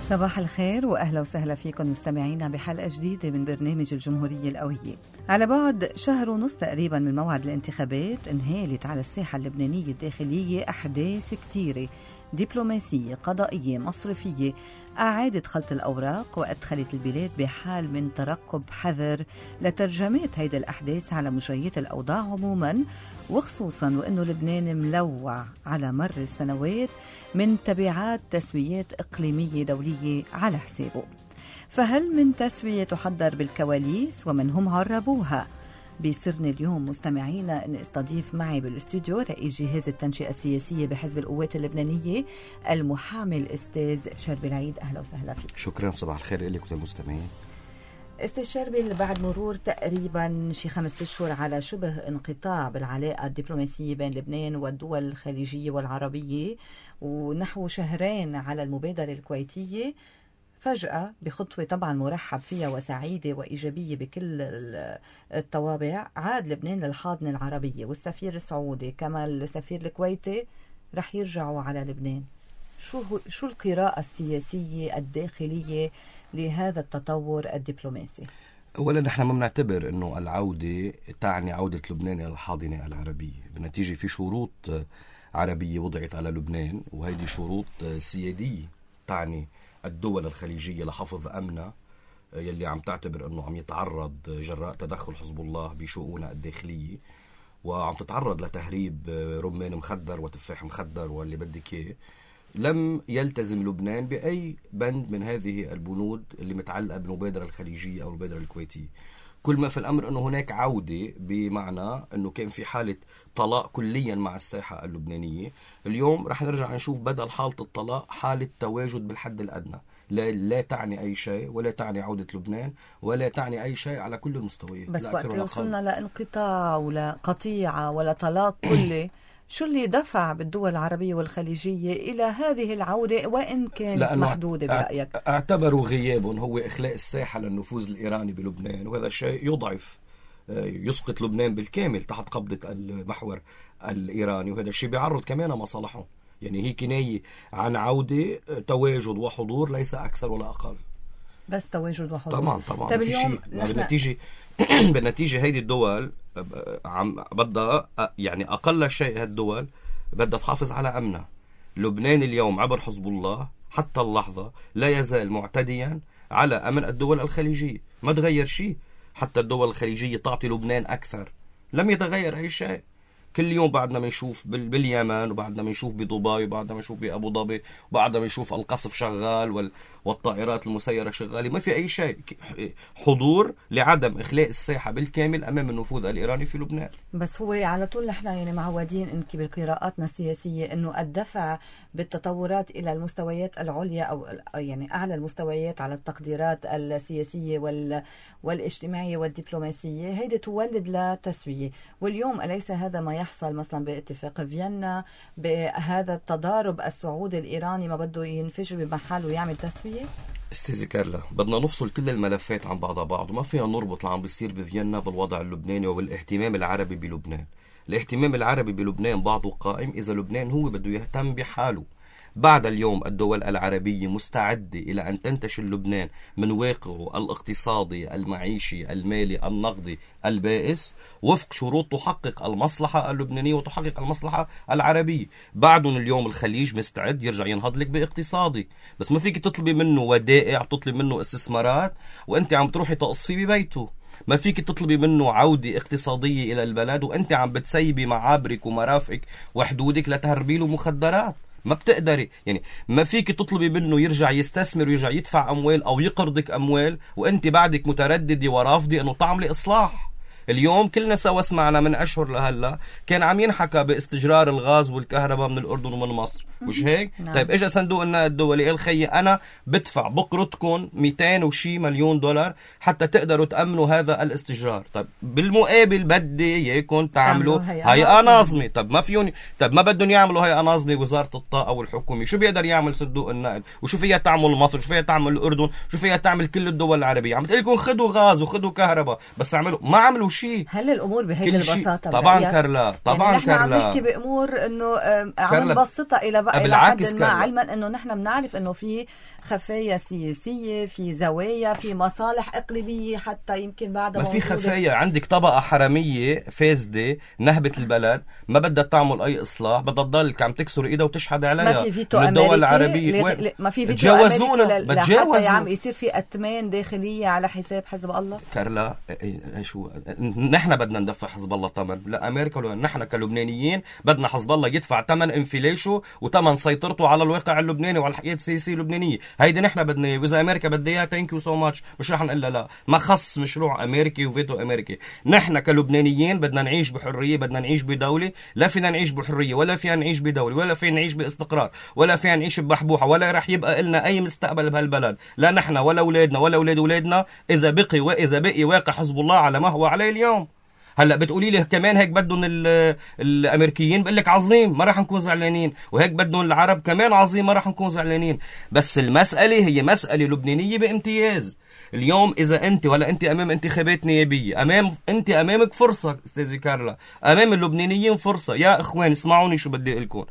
صباح الخير وأهلا وسهلا فيكم مستمعينا بحلقة جديدة من برنامج الجمهورية القوية. على بعد شهر ونص تقريبا من موعد الانتخابات انهالت على الساحة اللبنانية الداخلية أحداث كتيرة دبلوماسية قضائية مصرفية أعادت خلط الأوراق وأدخلت البلاد بحال من ترقب حذر لترجمات هيدا الأحداث على مجريات الأوضاع عموما، وخصوصا وأنه لبنان ملوع على مر السنوات من تبعات تسويات إقليمية دولية على حسابه. فهل من تسوية تحضر بالكواليس ومن هم عربوها؟ بيسرني اليوم مستمعينا أن استضيف معي بالاستوديو رئيس جهاز التنشئة السياسية بحزب القوات اللبنانية المحامي الأستاذ شربي العيد. أهلا وسهلا فيك. شكرا، صباح الخير لك وللمستمعين. أستاذ شربي، بعد مرور تقريبا 5 أشهر على شبه انقطاع بالعلاقة الدبلوماسية بين لبنان والدول الخليجية والعربية ونحو 2 شهر على المبادرة الكويتية، فجأة بخطوة طبعا مرحب فيها وسعيدة وإيجابية بكل الطوابع عاد لبنان للحاضنة العربية، والسفير السعودي كما السفير الكويتي رح يرجعوا على لبنان. شو القراءة السياسية الداخلية لهذا التطور الدبلوماسي؟ أولا نحن ما بنعتبر أنه العودة تعني عودة لبنان إلى الحاضنة العربية، بالنتيجة في شروط عربية وضعت على لبنان، وهذه شروط سيادية تعني الدول الخليجية لحفظ أمنها يلي عم تعتبر أنه عم يتعرض جراء تدخل حزب الله بشؤونها الداخلية، وعم تتعرض لتهريب رمان مخدر وتفاح مخدر واللي بدك إياه. لم يلتزم لبنان بأي بند من هذه البنود اللي متعلقة بالمبادرة الخليجية أو المبادرة الكويتية. كل ما في الأمر أنه هناك عودة، بمعنى أنه كان في حالة طلاق كليا مع الساحة اللبنانية. اليوم رح نرجع نشوف بدل حالة الطلاق حالة تواجد بالحد الأدنى. لا تعني أي شيء، ولا تعني عودة لبنان، ولا تعني أي شيء على كل المستويات. بس وقت وصلنا لانقطاع ولا قطيعة ولا طلاق كلي، شو اللي دفع بالدول العربية والخليجية إلى هذه العودة وإن كانت محدودة برأيك؟ اعتبروا غيابهم هو إخلاء الساحة للنفوذ الإيراني بلبنان، وهذا الشيء يضعف يسقط لبنان بالكامل تحت قبضة المحور الإيراني، وهذا الشيء بيعرض كمان مصالحهم. يعني هي كناية عن عودة تواجد وحضور، ليس أكثر ولا أقل. بس تواجد وحضور طبعا طيب اليوم بالنتيجة هيدي الدول عم بدها، يعني أقل شيء هالدول بدها تحافظ على أمنها. لبنان اليوم عبر حزب الله حتى اللحظة لا يزال معتديا على أمن الدول الخليجية، ما تغير شيء. حتى الدول الخليجية تعطي لبنان أكثر، لم يتغير أي شيء. كل يوم بعدنا ما نشوف باليمن، وبعدنا ما نشوف بدبي، وبعدنا ما نشوف بأبو ظبي، وبعدنا ما نشوف القصف شغال والطائرات المسيرة شغالة. ما في أي شيء، حضور لعدم إخلاء الساحة بالكامل أمام النفوذ الإيراني في لبنان. بس هو على طول نحن يعني معودين إنك بقراءاتنا السياسية إنه الدفع بالتطورات إلى المستويات العليا أو يعني أعلى المستويات على التقديرات السياسية والاجتماعية والدبلوماسية هيدي تولد لتسوية. واليوم أليس هذا ما يحصل مثلا باتفاق فيينا، بهذا التضارب السعودي الإيراني ما بده ينفجر بمحل ويعمل تسوية؟ استاذ كارلا، بدنا نفصل كل الملفات عن بعض، وما فينا نربط اللي عم بيصير بفيينا بالوضع اللبناني والاهتمام العربي بلبنان. الاهتمام العربي بلبنان بعضه قائم إذا لبنان هو بده يهتم بحاله. بعد اليوم الدول العربية مستعدة إلى أن تنتشل لبنان من واقعه الاقتصادي المعيشي المالي النقدي البائس وفق شروط تحقق المصلحة اللبنانية وتحقق المصلحة العربية. بعدهم اليوم الخليج مستعد يرجع ينهض لك باقتصادي، بس ما فيك تطلبي منه ودائع، تطلب منه استثمارات وأنت عم تروحي تقصفي ببيته. ما فيك تطلبي منه عودة اقتصادية إلى البلد وأنت عم بتسيبي معابرك ومرافقك وحدودك لتهربي له مخدرات. ما بتقدري، يعني ما فيك تطلبي منه يرجع يستثمر ويرجع يدفع أموال أو يقرضك أموال وأنت بعدك مترددة ورافضة أنه تعملي إصلاح. اليوم كلنا سوا سمعنا من أشهر لهلا كان عم ينحكى باستجرار الغاز والكهرباء من الأردن ومن مصر، مش هيك؟ طيب إجا صندوق النقد الدولي قال خيي أنا بدفع بقرضكم 200 وشي مليون دولار حتى تقدروا تأمنوا هذا الاستجرار. طيب بالمقابل بدي إياكم تعملوا هيئة ناظمة. طب ما فيهم، طب ما بدهم يعملوا هيئة ناظمة وزارة الطاقة والحكومة، شو بيقدر يعمل صندوق النقد؟ وشو فيها تعمل مصر؟ شو فيها تعمل الأردن؟ شو فيها تعمل كل الدول العربية؟ عم تقول لكم خدوا غاز وخدوا كهرباء، بس عملوا ما عملوا شيء. هل الامور بهيدي البساطه؟ طبعا كارلا، طبعا يعني كارلا، نحن عم نحكي بامور انه عم نبسطها الى حد ما، علما انه نحن بنعرف انه في خفايا سياسيه، في زوايا، في مصالح اقليميه حتى يمكن بعدها ما في خفايا. عندك طبقه حراميه فاسده نهبت البلد، ما بدها تعمل اي اصلاح، بدها تضل عم تكسر ايدها وتشحد عليها. ما في فيتو امريكي، ما في فيتو امريكي لحتى عم يصير في اتمان داخليه على حساب حزب الله. كارلا شو نحن بدنا ندفع حزب الله ثمن؟ لا امريكا ولا نحن كلبنانيين بدنا حزب الله يدفع ثمن انفلاشه وثمن سيطرته على الواقع اللبناني وعلى الحياه السياسيه اللبنانيه. هيدي نحن بدنا اياه، واذا امريكا بدها اياها ثانك يو سو ماتش، مش رح نقول لا. ما خص مشروع امريكي وفيتو امريكي. نحن كلبنانيين بدنا نعيش بحريه، بدنا نعيش بدوله. لا فينا نعيش بحريه، ولا فينا نعيش بدوله، ولا فينا نعيش باستقرار، ولا فينا نعيش ببحبوحه، ولا رح يبقى لنا اي مستقبل بهالبلد، لا نحن ولا اولادنا ولا اولاد اولادنا، اذا بقي واقع حزب الله على ما هو عليه اليوم. هلا بتقولي لي كمان هيك بدهم الامريكيين، بقول لك عظيم ما راح نكون زعلانين، وهيك بدهم العرب كمان عظيم ما راح نكون زعلانين. بس المساله هي مساله لبنانيه بامتياز. اليوم اذا انت ولا انت امام انتخابات نيابيه، انت امامك فرصه استاذي كارلا، امام اللبنانيين فرصه. يا اخوان اسمعوني شو بدي اقول لكم،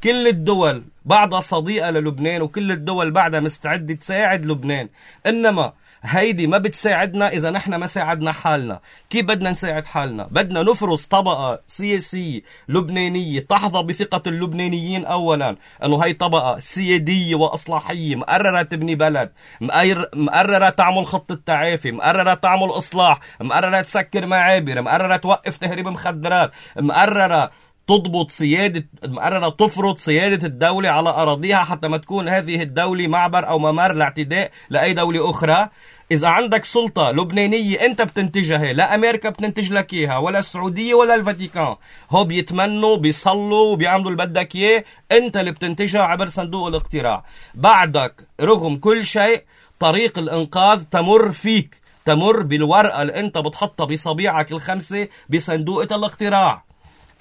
كل الدول بعدها صديقه للبنان، وكل الدول بعدها مستعده تساعد لبنان، انما هيدي ما بتساعدنا إذا نحن ما ساعدنا حالنا. كيف بدنا نساعد حالنا؟ بدنا نفرض طبقة سياسية لبنانية تحظى بثقة اللبنانيين أولا، أنه هاي طبقة سيادية وإصلاحية مقررة تبني بلد، مقررة تعمل خطة تعافي، مقررة تعمل إصلاح، مقررة تسكر معابر، مقررة توقف تهريب مخدرات، مقررة مقررة تفرض سيادة الدولة على أراضيها حتى ما تكون هذه الدولة معبر أو ممر لاعتداء لأي دولة أخرى. إذا عندك سلطة لبنانية أنت بتنتجها، لا أمريكا بتنتج لك إياها، ولا السعودية ولا الفاتيكان، هو بيتمنوا بيصلوا وبيعملوا اللي بدك إياه، أنت اللي بتنتجها عبر صندوق الاقتراع. بعدك رغم كل شيء طريق الإنقاذ تمر فيك، تمر بالورقة اللي أنت بتحطها بصبيعك الخمسة بصندوق الاقتراع.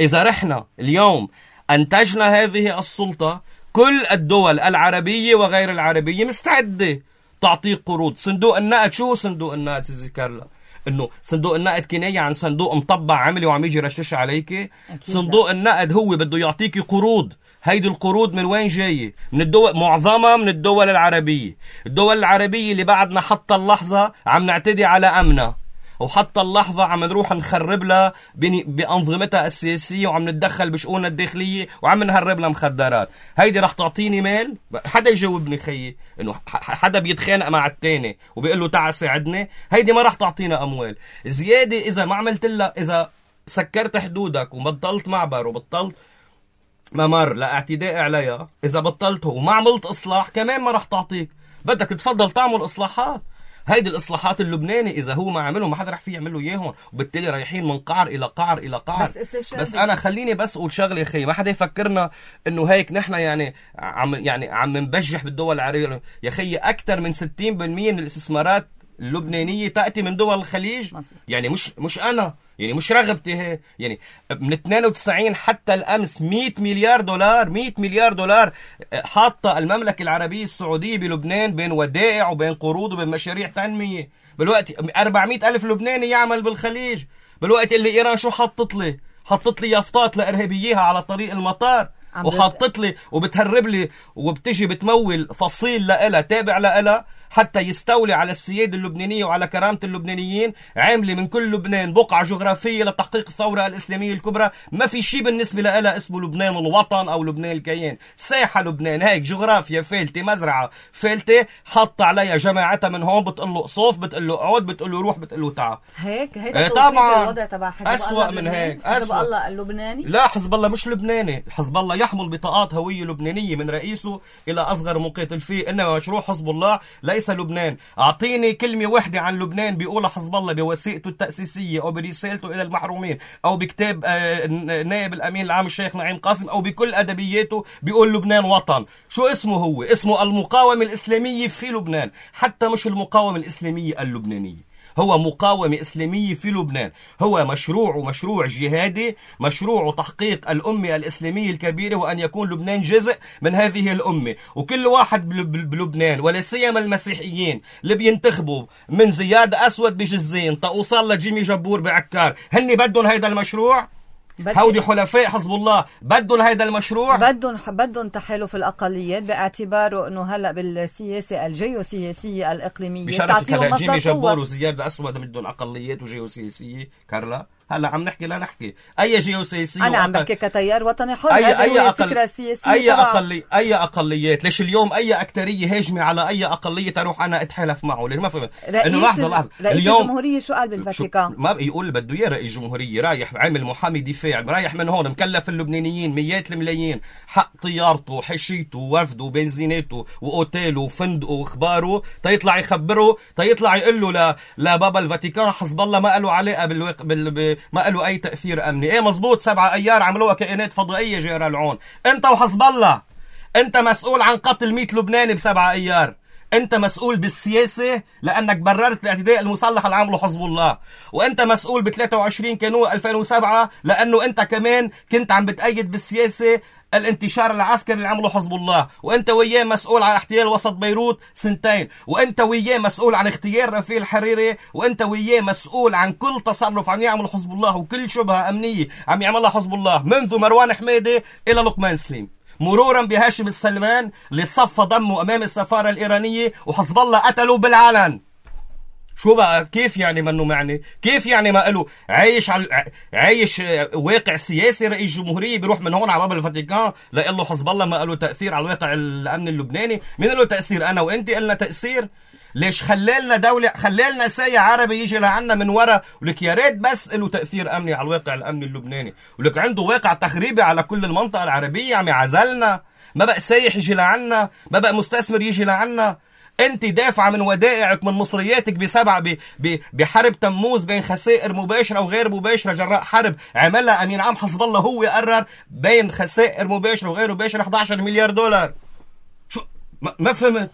إذا رحنا اليوم أنتجنا هذه السلطة، كل الدول العربية وغير العربية مستعدة تعطيك قروض. صندوق النقد، شو صندوق النقد سيدي كارلا؟ انه صندوق النقد كناية عن صندوق مطبع عملي وعم يجي رشش عليك. صندوق النقد هو بده يعطيك قروض. هيدي القروض من وين جاية؟ من الدول، معظمها من الدول العربية. الدول العربية اللي بعدنا حتى اللحظة عم نعتدي على أمنها، وحتى اللحظة عم نروح نخرب لها بأنظمتها السياسية، وعم نتدخل بشؤونها الداخلية، وعم نهرب لها مخدرات. هيدي رح تعطيني مال؟ حدا يجاوبني خيي، انه حدا بيتخانق مع التاني وبيقول له تعال ساعدني؟ هيدي ما رح تعطينا اموال زيادة. اذا ما عملت لها، اذا سكرت حدودك وبطلت معبر وبطلت ممر لاعتداء عليها، اذا بطلته وما عملت اصلاح كمان ما رح تعطيك. بدك تفضل تعمل اصلاحات. هيدي الإصلاحات اللبناني إذا هو ما عملهم ما حدا رح فيه يعملوا إياهم، وبالتالي رايحين من قعر إلى قعر إلى قعر. بس أنا خليني بس أقول شغلة يا أخي، ما حدا يفكرنا إنه هيك نحن عم نبجح بالدول العربية. يا أخي أكثر من 60% من الاستثمارات اللبنانية تأتي من دول الخليج. يعني مش أنا، يعني مش رغبتي هي، يعني من 92 حتى الأمس 100 مليار دولار 100 مليار دولار حاطة المملكة العربية السعودية بلبنان، بين ودائع وبين قروض وبين مشاريع تنمية. بالوقت 400 ألف لبناني يعمل بالخليج. بالوقت اللي إيران شو حطت لي يافطات لإرهابييها على طريق المطار، وحطت لي وبتهرب لي وبتجي بتمول فصيل لإلها تابع لإلها حتى يستولي على السيادة اللبنانية وعلى كرامة اللبنانيين. عاملة من كل لبنان بقعة جغرافية لتحقيق الثورة الإسلامية الكبرى. ما في شيء بالنسبة لها اسمه لبنان الوطن أو لبنان الكيان. ساحة لبنان هيك جغرافيا فالتة، مزرعة فالتة، حط عليها جماعتها من هون، بتقول له قصوف، بتقول له اقعد، بتقول له روح، بتقول له تعال. هيك طبعا الوضع تبع حزب أسوأ من هيك. حزب الله اللبناني؟ لا، حزب الله مش لبناني. حزب الله يحمل بطاقات هوية لبنانية من رئيسه إلى أصغر مقاتل فيه، إنما مشروع حزب الله ليس لبنان. أعطيني كلمة واحدة عن لبنان بيقولها حزب الله بوثيقته التأسيسية أو برسالته إلى المحرومين أو بكتاب نائب الأمين العام الشيخ نعيم قاسم أو بكل أدبياته بيقول لبنان وطن. شو اسمه هو؟ اسمه المقاومة الإسلامية في لبنان، حتى مش المقاومة الإسلامية اللبنانية. هو مقاومة إسلامية في لبنان، هو مشروع جهادي، مشروع تحقيق الأمة الإسلامية الكبيرة، وأن يكون لبنان جزء من هذه الأمة. وكل واحد بلبنان ولا سيما المسيحيين اللي بينتخبوا من زياد أسود بجزين توصل لجيمي جبور بعكار، هني بدهم هيدا المشروع؟ هودي حلفاء حزب الله بدهم هيدا المشروع؟ بدهم تحالف الأقليات باعتباره انه هلا بالسياسة الجيوسياسية الإقليمية بشرفك هلا جيمي جبور وزياد أسود بدهم أقليات وجيوسياسية كارلا. هلا عم نحكي لا نحكي أي جيوسياسية. أنا عم بحكي كتيار وطني حر. أي الفكرة السياسية أي أقليات. ليش اليوم أي أكترية هاجمة على أي أقلية تروح أنا أتحالف معه؟ ليش ما فهمت؟ إنه لحظة رئيس الجمهورية شو قال بالفاتيكان؟ ما يقول بده إياه رئيس الجمهورية رايح عامل محامي دفاع، رايح من هون مكلف اللبنانيين مئات الملايين حق طيارته وحشيته ووفده وبنزيناته وأوتيله وفندقه وإخباره تيطلع يخبره، تيطلع يقول له لبابا الفاتيكان حزب الله ما له علاقة ما له أي تأثير أمني. إيه مزبوط، 7 أيار عملوها كائنات فضائية جيران العون. أنت وحزب الله أنت مسؤول عن قتل 100 لبناني ب7 أيار. أنت مسؤول بالسياسة لأنك بررت الاعتداء المسلح اللي عمله حزب الله، وأنت مسؤول ب 23 كانون 2007 لأنه أنت كمان كنت عم بتأيد بالسياسة الانتشار العسكري اللي عمله حزب الله، وانت وياه مسؤول عن احتلال وسط بيروت 2 سنين، وانت وياه مسؤول عن اغتيال رفيق الحريري، وانت وياه مسؤول عن كل تصرف عم يعمله حزب الله وكل شبهة امنية عم يعملها حزب الله منذ مروان حميدة الى لقمان سليم، مرورا بهاشم السلمان اللي تصفى دمه امام السفارة الايرانية وحزب الله قتله بالعلن. شو بقى؟ كيف يعني منه معني؟ كيف يعني ما قالوا عايش واقع سياسي رئيس جمهورية بيروح من هون على باب الفاتيكان لقال له حزب الله ما قالوا تأثير على الواقع الأمن اللبناني؟ مين له تأثير؟ أنا وأنت قلنا تأثير؟ ليش خلالنا دولة، خلالنا سايع عربي يجي لعنا من ورا ولك يا ريت بس له تأثير أمني على الواقع الأمني اللبناني، ولك عنده واقع تخريبي على كل المنطقة العربية عم يعزلنا، ما بقى سايح يجي لعنا، ما بقى مستثمر يجي لعنا. انت دافعة من ودائعك من مصرياتك بحرب تموز بين خسائر مباشرة وغير مباشرة جراء حرب عملها أمين عام حزب الله، هو قرر بين خسائر مباشرة وغير مباشرة 11 مليار دولار. شو ما فهمت؟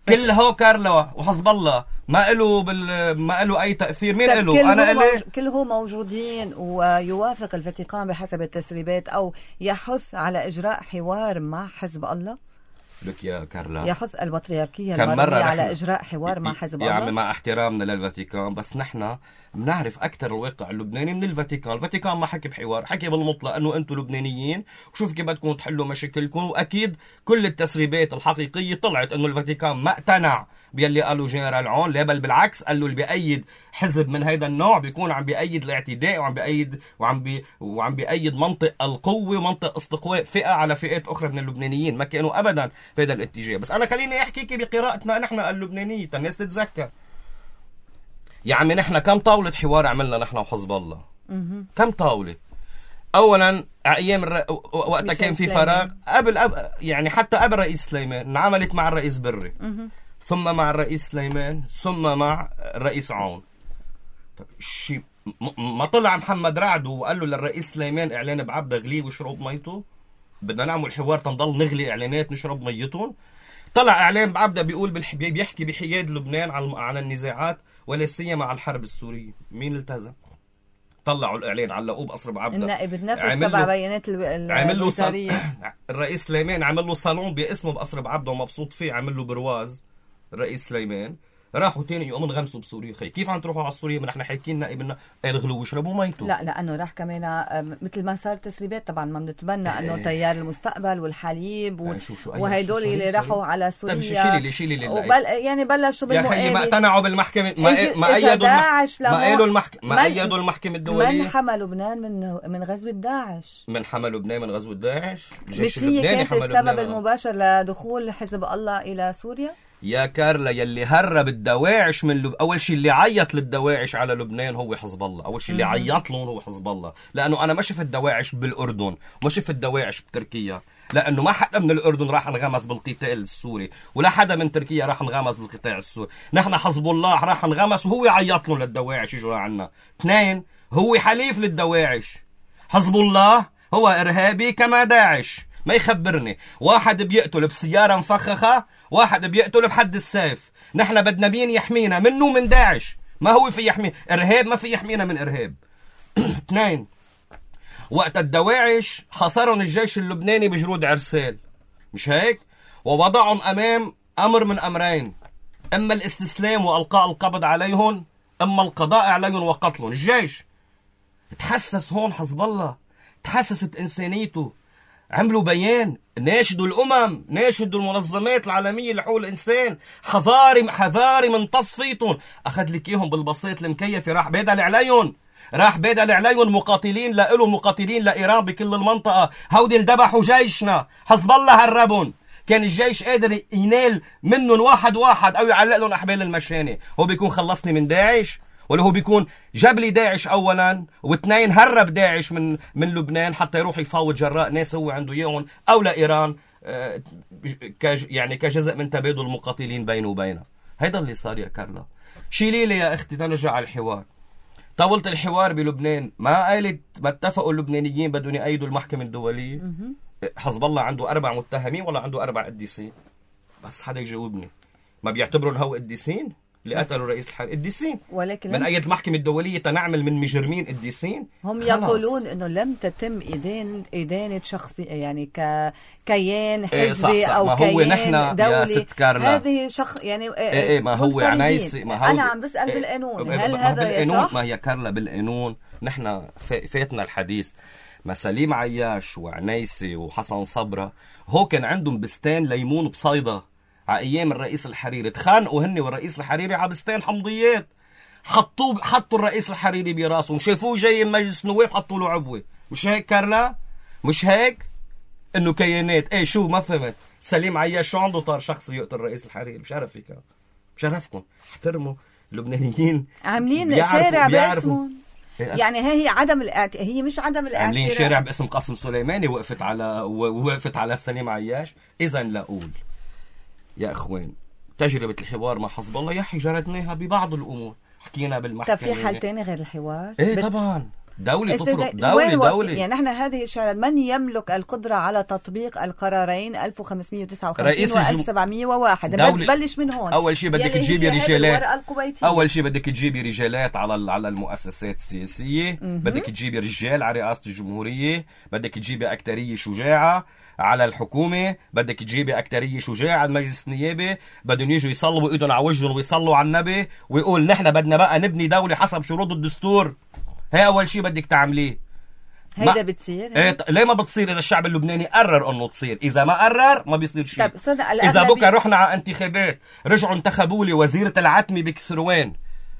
كل هو كارلا وحزب الله ما له أي تأثير. مين له؟ كلهم موجودين، ويوافق الفاتيكان بحسب التسريبات أو يحث على إجراء حوار مع حزب الله. لك يا كارلا، يحث البطريركية المرة على إجراء حوار مع حزب الله. يعني مع احترامنا للفاتيكان بس نحن بنعرف أكثر الواقع اللبناني من الفاتيكان. الفاتيكان ما حكي بحوار، حكي بالمطلق أنه أنتم لبنانيين وشوف كيف بدكم تحلوا مشاكلكم. وأكيد كل التسريبات الحقيقية طلعت أنه الفاتيكان ما اقتنع بيلي قالوا جنرال عون، لا بل بالعكس قالوا اللي بيأيد حزب من هيدا النوع بيكون عم بيأيد الاعتداء وعم بيأيد منطق القوة ومنطق استقواء فئة على فئات أخرى من اللبنانيين. ما كانوا أبدا في هذا الاتجاه. بس أنا خليني أحكيك بقراءتنا نحن اللبنانية الناس تتذكر. يا عمي نحن كم طاولة حوار عملنا نحن وحزب الله؟ كم طاولة؟ أولا أيام وقتها كان في فراغ يعني حتى قبل رئيس سليمان انعملت مع الرئيس بري، ثم مع الرئيس سليمان، ثم مع الرئيس عون. طب ما طلع محمد رعد وقال له للرئيس سليمان اعلان بعبده غلي وشرب ميته، بدنا نعمل حوار تنضل نغلي اعلانات نشرب ميتهم. طلع اعلان بعبده بيقول بيحكي بحياد لبنان عن النزاعات ولا سيما على الحرب السورية. مين التزم؟ طلعوا الاعلان علقوه بقصر بعبده. النائب النفس تبع بيانات الوزارية. الرئيس سليمان عمل له صالون باسمه بقصر بعبده ومبسوط فيه، عمل له برواز الرئيس سليمان. راحوا تاني يوم انغمسوا بسوريا. خي كيف عم تروحوا على سوريا؟ ما نحن حاكيين نائبنا اغلوا واشربوا ميتوا. لا لانه راح كمان مثل ما صار تسريبات طبعا ما بنتبنى انه تيار المستقبل والحليب وهيدول اللي راحوا على سوريا. شيلي يعني بلشوا بالمقابل. يا اخي ما اقتنعوا بالمحكمة، ما ايدوا المحكمة الدولية. من حمى لبنان من غزوة داعش؟ من حمى لبنان من غزوة داعش؟ مش هي كانت السبب المباشر لدخول حزب الله الى سوريا؟ يا كارلا يلي هرب الدواعش من أول شيء اللي عيط للدواعش على لبنان هو حزب الله. أول شيء اللي عيط لهم هو حزب الله، لأنه أنا ما شفت الدواعش بالأردن وما شفت الدواعش بتركيا، لأنه ما حدا من الأردن راح انغمس بالقتال السوري ولا حدا من تركيا راح انغمس بالقتال السوري. نحن حزب الله راح انغمس وهو عيط لهم للدواعش يجوا عنا. 2 هو حليف للدواعش. حزب الله هو إرهابي كما داعش. ما يخبرني واحد بيقتل بسيارة مفخخة، واحد بيقتل بحد السيف. نحن بدنا مين يحمينا منه من داعش؟ ما هو في يحمي إرهاب، ما في يحمينا من إرهاب. 2 وقت الدواعش حصرهم الجيش اللبناني بجرود عرسال، مش هيك؟ ووضعهم أمام أمر من أمرين، إما الاستسلام وألقاء القبض عليهم، إما القضاء عليهم وقتلهم. الجيش تحسس هون، حزب الله تحسست إنسانيته، عملوا بيان، ناشدوا الأمم، ناشدوا المنظمات العالمية لحقوق الإنسان، حذاري من تصفيتهم. أخذ لك إياهم بالبسيط المكيفة، راح بيدل عليهم مقاتلين لإلهم، مقاتلين لإيران بكل المنطقة. هودي الدبحوا جيشنا، حزب الله هربهم. كان الجيش قادر ينال منهم واحد أو يعلق لهم أحبال المشانة. هو بيكون خلصني من داعش، ولا هو بيكون جاب لي داعش أولا، واثنين هرب داعش من لبنان حتى يروح يفاوض جراء ناس هو عنده إياهم، أو لإيران يعني كجزء من تبادل المقاتلين بينه وبينها. هيدا اللي صار يا كارلا. شيلي لي يا أختي تنرجع على الحوار. طاولة الحوار بلبنان ما قالت ما اتفقوا اللبنانيين بدهم يأيدوا المحكمة الدولية؟ حزب الله عنده 4 متهمين ولا عنده 4 قديسين؟ بس حدا يجاوبني. ما بيعتبروا الهو قديسين اللي قتلوا رئيس الحرب؟ قديسين، ولكن من أيد المحكمة الدولية تنعمل من مجرمين قديسين. هم يقولون انه لم تتم إدانة شخصي، يعني كيان حزبي او كيان دولي. هذه يعني ما هو عنايسي، ما هو انا عم بسأل بالقانون، هل هذا صح؟ ما هي كارلا بالقانون. نحن فاتنا الحديث. ما سليم عياش وعنايسي وحسن صبرا هو كان عندهم بستان ليمون بصيدا على ايام الرئيس الحريري، تخانقوا هن والرئيس الحريري على بستان حمضيات، حطوا الرئيس الحريري براسهم، شافوه جاي من مجلس النواب حطوا له عبوه. مش هيك كارلا؟ مش هيك؟ انه كيانات. ايه شو ما فهمت؟ سليم عياش شو عنده طار شخصي يقتل الرئيس الحريري؟ بشرفكم احترموا اللبنانيين، عاملين شارع باسمهم. يعني هي مش عدم الاعتراف. عاملين شارع باسم قاسم سليماني وقفت على سليم عياش. اذا لاقول يا اخوان، تجربة الحوار مع حزب الله يحي جردناها ببعض الامور، حكينا بالمحكمة. طب في حل تاني غير الحوار؟ ايه طبعا، دولة تفرق دولة. يعني نحن هذه الشارع من يملك القدرة على تطبيق القرارين 1559 و 1701؟ بتبلش من هون. أول شيء بدك تجيبي رجالات على المؤسسات السياسية، بدك تجيبي رجال على رئاسة الجمهورية، بدك تجيبي أكترية شجاعة على الحكومة، بدك تجيبي أكترية شجاعة على المجلس النيابي، بدهم يجوا يصلوا إيدهم على وجههم ويصلوا على النبي ويقول نحن بدنا بقى نبني دولة حسب شروط الدستور. هي أول شيء بدك تعمليه. هيدا بتصير؟ ليه ما بتصير؟ إذا الشعب اللبناني قرر أنه تصير، إذا ما قرر ما بيصير شيء. إذا بكره رحنا على انتخابات رجعوا انتخبوا لي وزيرة العتمة بكسروان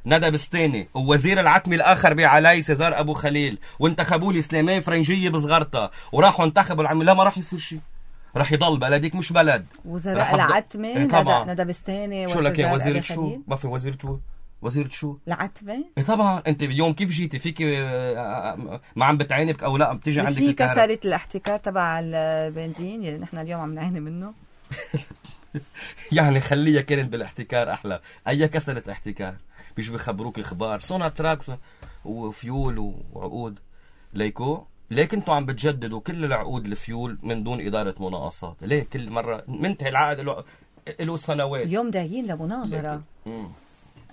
ندى بستاني، ووزير العتمة الآخر بعلي سيزار أبو خليل، وانتخبوا لي سليمان فرنجية بصغرتها، وراحوا انتخبوا العمي. لا، ما راح يصير شيء، راح يضل بلدك مش بلد. وزراء العتمة ندى بستاني شو لك يا وزيرة شو؟ ما في وزيرة شو؟ العتمة؟ إيه طبعا. انت اليوم كيف جيتي فيك ما عم بتعاني بك او لا بتيجي عندك الكهرباء؟ كسرة الاحتكار تبع البنزين اللي نحن اليوم عم نعاني منه. يعني خليها كانت بالاحتكار احلى. اي كسرة احتكار؟ مش بيخبروك اخبار صنع تراك وفيول وعقود ليكو. ليه كنتوا عم بتجددوا كل العقود الفيول من دون إدارة مناقصات؟ ليه كل مرة منتهي العقد له سنوات؟ اليوم داعيين لمناظرة.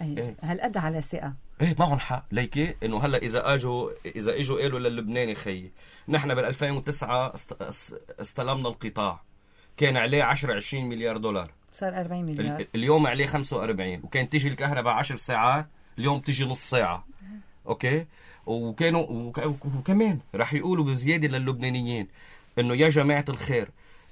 إيه. هالقد على ثقة. ايه معهم حق. ليكي انه هلا اذا اجوا قالوا للبناني خيي نحن بال 2009 استلمنا القطاع، كان عليه 10-20 مليار دولار، صار 40 مليار. اليوم عليه 45، وكان تيجي الكهرباء 10 ساعات، اليوم تيجي نص ساعة. اوكي. وكمان رح يقولوا بزيادة للبنانيين انه يا جماعة الخير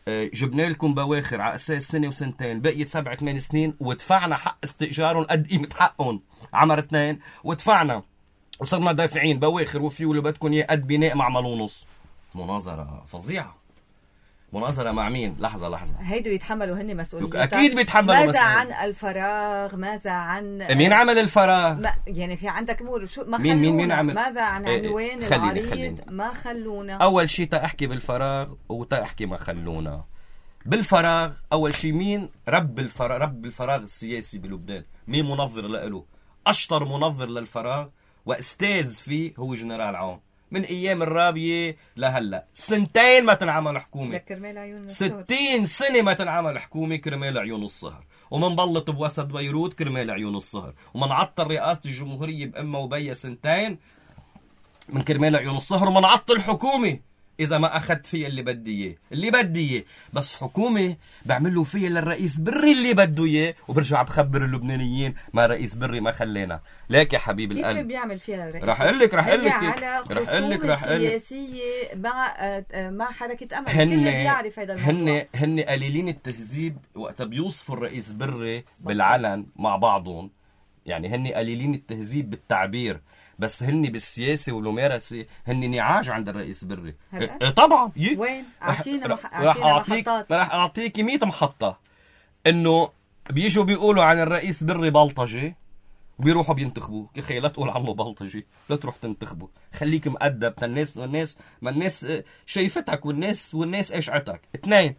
جبنا لكم بواخر على اساس سنة وسنتين، بقيت 7-8 سنين، ودفعنا حق استئجارهم قد قيمة حقهم عمر 2، ودفعنا وصرنا دافعين بواخر وفيول بدكم اياه قد بناء معمل ونص. مناظرة فظيعة. مناظرة مع مين؟ لحظة هيدو يتحملوا هن مسؤولية. أكيد بيتحملوا. ماذا عن الفراغ؟ ماذا عن مين عمل الفراغ؟ يعني في عندك أمور شو ما مين عمل؟ ماذا عن عنوان العريض؟ ما خلونا. أول شيء تأحكي بالفراغ وتأحكي ما خلونا. بالفراغ أول شيء مين رب الفراغ السياسي بلبنان؟ مين منظر له؟ أشطر منظر للفراغ وأستاذ فيه هو جنرال عون من ايام الرابيه لهلا، سنتين ما تنعمل حكومه، 60 سنه ما تنعمل حكومه كرمال عيون الصهر، ومنبلط بوسط بيروت كرمال عيون الصهر، ومنعطل رئاسه الجمهوريه بأمها وبيا سنتين من كرمال عيون الصهر، ومنعطل حكومه إذا ما أخذت فيها اللي بدي إياه، بس حكومة بعملوا فيها للرئيس بري اللي بده إياه، وبرجع بخبر اللبنانيين ما رئيس بري ما خلينا. ليك يا حبيب القلب كيف بيعمل فيها الرئيس؟ رح أقول لك على خصومة سياسية مع حركة أمل. كل بيعرف هذا الموضوع. هن قليلين التهذيب وقت بيوصفوا الرئيس بري بالعلن مع بعضهم، يعني هن قليلين التهذيب بالتعبير، بس هن بالسياسة والممارسة هن نعاج عند الرئيس بري. طبعا وين؟ أعطينا محطات. رح أعطيك 100 محطة. إنه بيجوا بيقولوا عن الرئيس بري بلطجي وبيروحوا بينتخبوه. يا أخي لا تقول عنه بلطجي، لا تروح تنتخبه، خليك مؤدب. الناس شايفتك والناس إشعتك. 2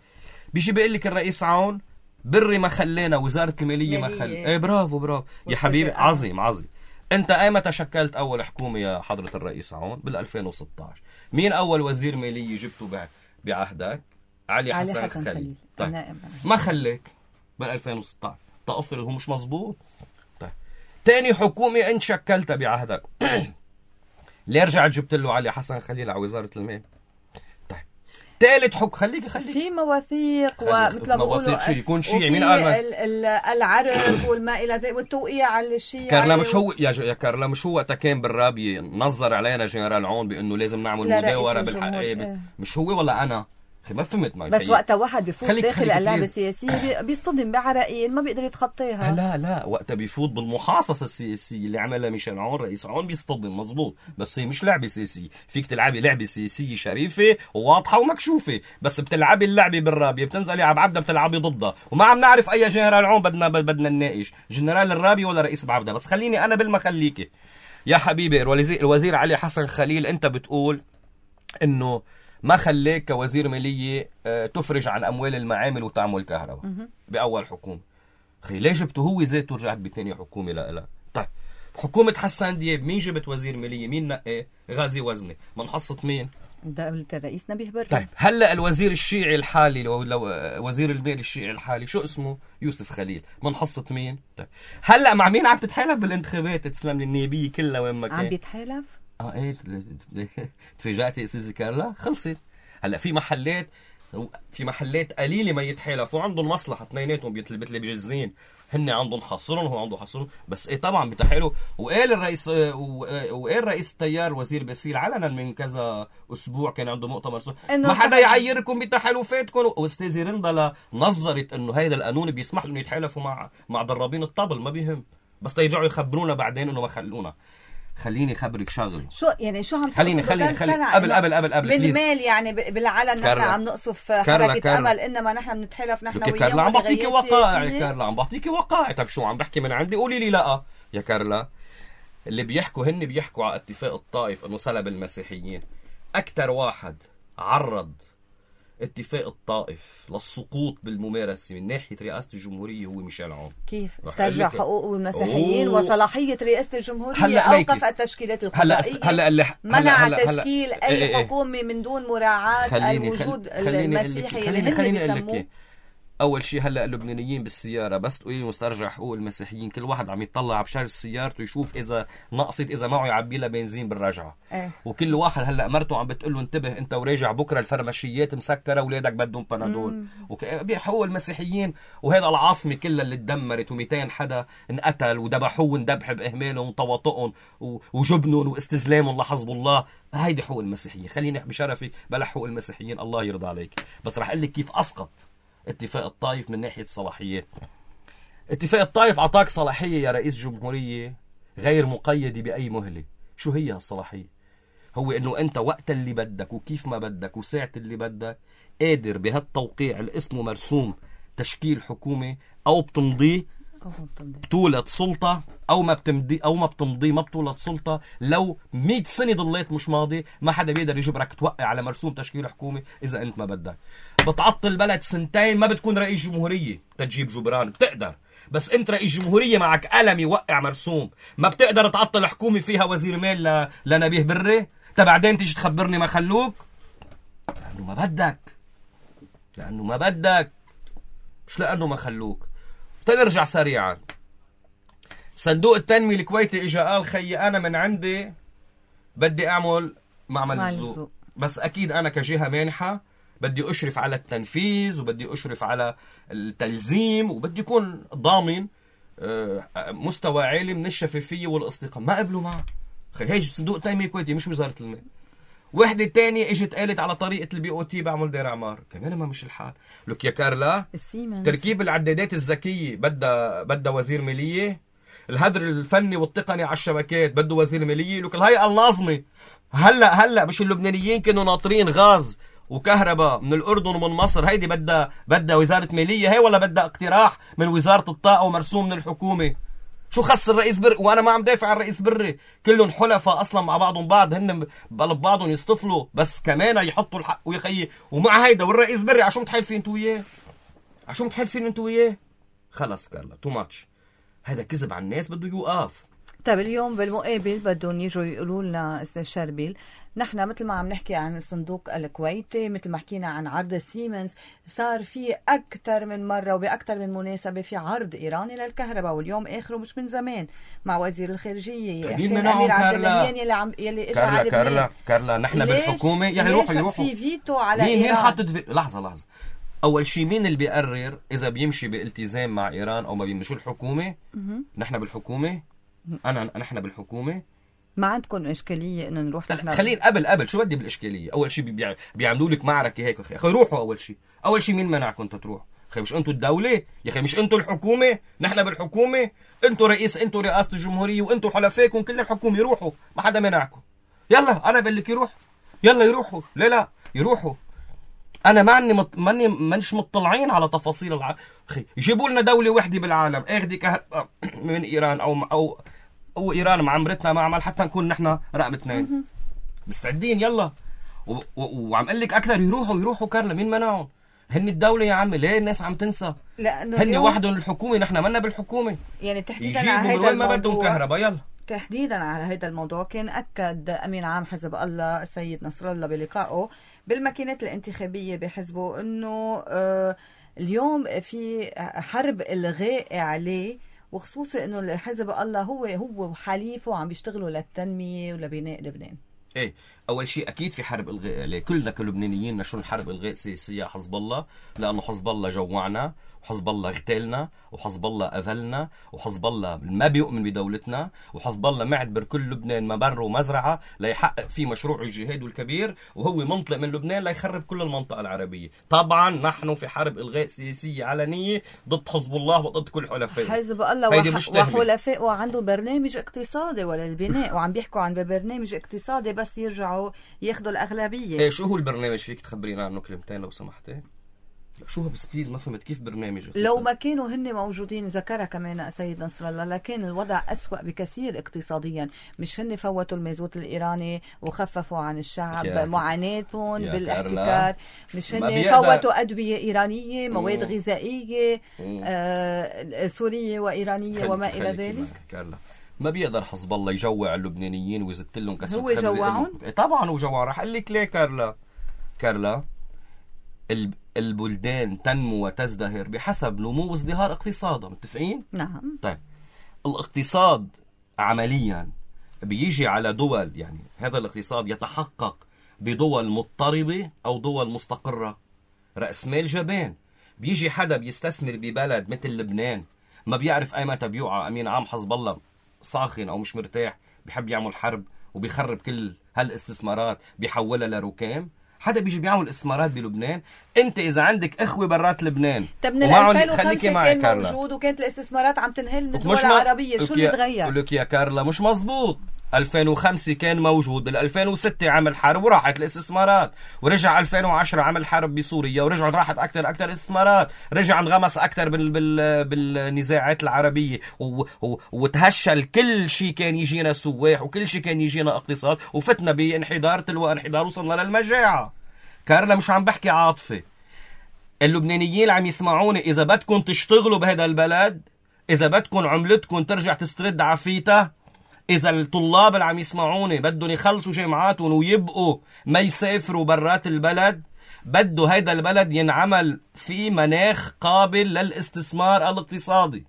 بيجي بيقول لك الرئيس عون بري ما خلينا وزارة المالية ما خلينا. برافو يا حبيبي، عظيم. انت ايمتى تشكلت اول حكومه يا حضره الرئيس عون؟ بال 2016. مين اول وزير ماليه جبته بعهدك؟ علي حسن خليل. طيب ما خليك بال 2016. افرض هو مش مزبوط. طيب ثاني حكومه انت شكلتها بعهدك ليه رجعت جبت له علي حسن خليل على وزاره المال؟ ثالث خليك في مواثيق ومثل ما بيقولوا يكون شيعي. مين قال العرف والما الى ذلك والتوقيع على الشيعي؟ كارلا مش هو يا كارلا مش هو وقتها كان بالرابيه نظر علينا جنرال عون بانه لازم نعمل مداوره بالحق. مش هو ولا انا؟ ما فهمت معي. بس وقتها واحد بيفوت داخل اللعبه السياسيه بيصطدم بعراقيل ما بيقدر يتخطيها. لا وقتها بيفوت بالمحاصصه السياسيه اللي عملها ميشيل عون رئيس عون، بيصطدم مزبوط. بس هي مش لعبه سياسيه. فيك تلعبي لعبه سياسيه شريفه وواضحه ومكشوفه، بس بتلعبي اللعبه بالرابيه بتنزلي على بعبده بتلعبي ضدها، وما عم نعرف اي جنرال عون بدنا نناقش جنرال الرابيه ولا رئيس بعبده. بس خليني انا بالمخليكي يا حبيبي. الوزير علي حسن خليل انت بتقول انه ما خليك كوزير مالية تفرج عن أموال المعامل وتعمل كهرباء بأول حكومة. أخي ليش جبته هو ذاته رجعت بثاني حكومة؟ لا. طيب حكومة حسان دياب مين جبت وزير مالية؟ مين نقاه؟ غازي وزني. منحصة مين؟ دولة الرئيس نبيه بري. طيب هلا الوزير الشيعي الحالي لو وزير المال الشيعي الحالي شو اسمه؟ يوسف خليل. منحصة مين؟ طيب هلا مع مين عم تتحالف بالانتخابات؟ تسلم لي النيابية كلها وين ما كان عم بيتحالف؟ ايه تفاجأتي استاذ كارلا؟ خلصت. هلا في محلات قليله ما يتحالفوا، عندهم مصلحه اثنيناتهم مثل بجزين، هن عندهم حصرهم وهو عنده حصرهم. بس ايه طبعا بتحالوا. وقال رئيس التيار وزير باسيل علنا من كذا اسبوع كان عنده مؤتمر ما حدا يعيركم بتحالفاتكم. واستاذه رندا نظرت انه هيدا القانون بيسمح لهم يتحالفوا مع ضرابين الطبل، ما بيهم، بس يرجعوا يخبرونا بعدين انه ما خلونا. خليني خبرك شغله. شو عم خليني قبل من مال يعني بالعلن نحن عم نقصف حركة أمل، إنما نحن بنتحالف نحن وياه. كارلا عم بعطيكي وقائع. كارلا عم بعطيكي وقائع. طيب شو عم بحكي من عندي؟ قولي لي لا يا كارلا. اللي بيحكوا على اتفاق الطائف انه سلب المسيحيين. اكثر واحد عرض اتفاق الطائف للسقوط بالممارسة من ناحية رئاسة الجمهورية هو ميشيل عون. كيف استرجع حقوق المسيحيين وصلاحية رئاسة الجمهورية؟ أوقف التشكيلات القضائية، منع تشكيل أي حكومة من دون مراعاة الوجود المسيحي اللي هن بيسموه. اول شيء هلا اللبنانيين بالسياره بس تقولي مسترجع حقوق المسيحيين، كل واحد عم يطلع بشارة سيارته يشوف اذا نقصت، اذا معه يعبي لها بنزين بالرجعه. وكل واحد هلا مرته عم بتقول له انتبه انت وراجع بكره الفرمشيات مسكره اولادك بدهم بنادول. بحقوق المسيحيين. وهذا العاصمه كلها اللي تدمرت و200 حدا انقتل وذبحوه وندبح باهمالهم وتواطؤهم وجبنهم واستسلامهم لحزب الله. هيدي حقوق المسيحيين. خليني بشرفي بلا حقوق المسيحيين الله يرضى عليك. بس رح اقول لك كيف اسقط اتفاق الطائف من ناحية الصلاحيات. اتفاق الطائف أعطاك صلاحية يا رئيس جمهورية غير مقيدة بأي مهلة. شو هي هالصلاحية؟ هو إنه أنت وقت اللي بدك وكيف ما بدك وساعة اللي بدك قادر بهالتوقيع اللي اسمه مرسوم تشكيل حكومة أو بتمضيه بطولة سلطة أو ما بتمضي ما بطولة سلطة. لو 100 سنة ضليت مش ماضي ما حدا بيقدر يجبرك توقع على مرسوم تشكيل حكومة إذا أنت ما بدك. بتعطل بلد سنتين ما بتكون رئيس جمهورية تجيب جبران بتقدر، بس أنت رئيس جمهورية معك قلم يوقع مرسوم ما بتقدر تعطل حكومة فيها وزير مال لنبيه بري. بعدين تيجي تخبرني ما خلوك؟ لأنه ما بدك، مش لأنه ما خلوك. تنرجع سريعا. صندوق التنمية الكويتي إجا قال خيي أنا من عندي بدي أعمل معمل الذوق، بس أكيد أنا كجهة مانحة بدي أشرف على التنفيذ وبدي أشرف على التلزيم وبدي يكون ضامن مستوى عالي من الشفافية والاستقامة. ما قبلوا معه. هي صندوق التنمية الكويتي مش وزارة المال. وحدة تانية اجت قالت على طريقة البي او تي بعمل دير اعمار، كمان ما مش الحال. لك يا كارلا تركيب العدادات الذكية بدها وزير مالية، الهدر الفني والتقني على الشبكات بده وزير مالية. لك الهيئة الناظمة هلا مش اللبنانيين كانوا ناطرين غاز وكهرباء من الأردن ومن مصر، هيدي بدها وزارة مالية هي، ولا بدها اقتراح من وزارة الطاقة ومرسوم من الحكومة؟ شو خص الرئيس بري؟ وانا ما عم دافع عن الرئيس بري، كلهم حلفاء اصلا مع بعضهم بعض، هن بقلب بعضهم يصطفلوا، بس كمان يحطوا الحق ويخيي. ومع هيدا والرئيس بري عشو متحالفين انتوا وياه؟ خلص كارلا تو ماتش، هذا كذب على الناس بده يوقف. طيب اليوم بالمقابل بدهم يجوا يقولوا لنا استاذ شربيل، نحن مثل ما عم نحكي عن الصندوق الكويتي، مثل ما حكينا عن عرض سيمنز، صار في أكثر من مرة وبأكثر من مناسبة في عرض إيراني للكهرباء، واليوم آخره مش من زمان مع وزير الخارجية حسين أمير عبد اللهيان يلي إجا على لبنان. كارلا نحن بالحكومة يروحوا في فيتو على مين إيران؟ مين حاطط لحظة أول شيء مين اللي بيقرر إذا بيمشي بالتزام مع إيران أو ما بيمشي؟ الحكومة. نحن بالحكومة. نحن بالحكومة. ما عندكم إشكالية إنه نروح نحن؟ خلينا قبل شو بدي بالإشكالية؟ أول شيء بيعملوا لك معركة هيك أخي روحوا. أول شيء مين منعكم تروح؟ أخي مش أنتوا الدولة يا أخي؟ مش أنتوا الحكومة؟ نحن بالحكومة، أنتوا رئاسة الجمهورية وأنتوا حلفائكم كل الحكومة، يروحوا ما حدا منعكم. يلا أنا بقول لك يروح، يلا يروحوا. لا يروحوا. أنا مانيش مطلعين على تفاصيل أخي يجيبوا لنا دولة وحدة بالعالم اخذي كهرباء من إيران أو إيران معمرتنا معمل حتى نكون نحن رقم 2 مستعدين. يلا وعم قل لك أكثر يروحوا كارلا، مين منعهم؟ هن الدولة يا عمي. ليه الناس عم تنسى؟ هن وحدهم الحكومة، نحن منا بالحكومة. يعني تحديدا على هذا الموضوع ما بدهم كهرباء. يلا تحديدا على هذا الموضوع كان أكد أمين عام حزب الله السيد نصر الله بلقائه بالماكينات الانتخابية بحزبه أنه اليوم في حرب إلغاء عليه، وخصوصي أنه حزب الله هو وحليفه عم بيشتغلوا للتنمية ولبناء لبنان. ايه اول شيء اكيد في حرب الغاء عليه، كلنا كلبنانيين نشون حرب الغاء سياسيه على حزب الله، لانه حزب الله جوعنا وحزب الله اغتالنا وحزب الله اذلنا وحزب الله ما بيؤمن بدولتنا وحزب الله معتبر كل لبنان مبر ومزرعه ليحقق فيه مشروع الجهاد الكبير، وهو منطلق من لبنان ليخرب كل المنطقه العربيه. طبعا نحن في حرب الغاء سياسيه علنيه ضد حزب الله وضد كل حلفائه. حزب الله وحلفائه عندهم برنامج اقتصادي وللبناء وعم بيحكوا عن برنامج اقتصادي بس يرجعوا ياخذوا الاغلبيه. ايه شو هو البرنامج؟ فيك تخبرينا عنه كلمتين لو سمحتي؟ شو هو بس بليز ما فهمت كيف برنامج اقتصادي؟ لو ما كانوا هن موجودين ذكرها كمان سيد نصر الله لكن الوضع أسوأ بكثير اقتصاديا. مش هن فوتوا المازوت الإيراني وخففوا عن الشعب معاناتهم بالاحتكار، مش هن فوتوا أدوية إيرانية، مواد غذائية سورية وإيرانية وما إلى ذلك. ما بيقدر حزب الله يجوع اللبنانيين ويزت لهم كسر هو جوعهم؟ طبعا هو جوعهم. رح اقول لك ليه كارلا البلدان تنمو وتزدهر بحسب نمو وازدهار اقتصادها، متفقين؟ نعم. طيب الاقتصاد عمليا بيجي على دول، يعني هذا الاقتصاد يتحقق بدول مضطربة أو دول مستقرة. رأس مال جبان. بيجي حدا بيستثمر ببلد مثل لبنان ما بيعرف أي متى بيوقع أمين عام حزب الله ساخن أو مش مرتاح، بيحب يعمل حرب وبيخرب كل هالاستثمارات بيحولها لركام. حدا بيجي بيعمل استثمارات بلبنان. انت اذا عندك اخوه برات لبنان طب من 2005 كان موجود وكانت الاستثمارات عم تنهل من الدول العربيه، شو اللي تغير؟ بقول لك يا كارلا مش مزبوط. 2005 كان موجود، بال 2006 عمل حرب وراحت الاستثمارات، ورجع 2010 عمل حرب بسوريا ورجعت راحت اكثر استثمارات، رجع انغمس اكثر بالنزاعات العربيه وتهشل كل شيء كان يجينا سواح وكل شيء كان يجينا اقتصاد وفتنا بانحدار تلو انحدار وصلنا للمجاعه. كارلا مش عم بحكي عاطفه. اللبنانيين اللي عم يسمعوني اذا بدكم تشتغلوا بهذا البلد، اذا بدكم عملتكم ترجع تسترد عافيتها، إذا الطلاب اللي عم يسمعوني بدهم يخلصوا جامعاتهم ويبقوا ما يسافروا برات البلد، بده هيدا البلد ينعمل في مناخ قابل للاستثمار الاقتصادي.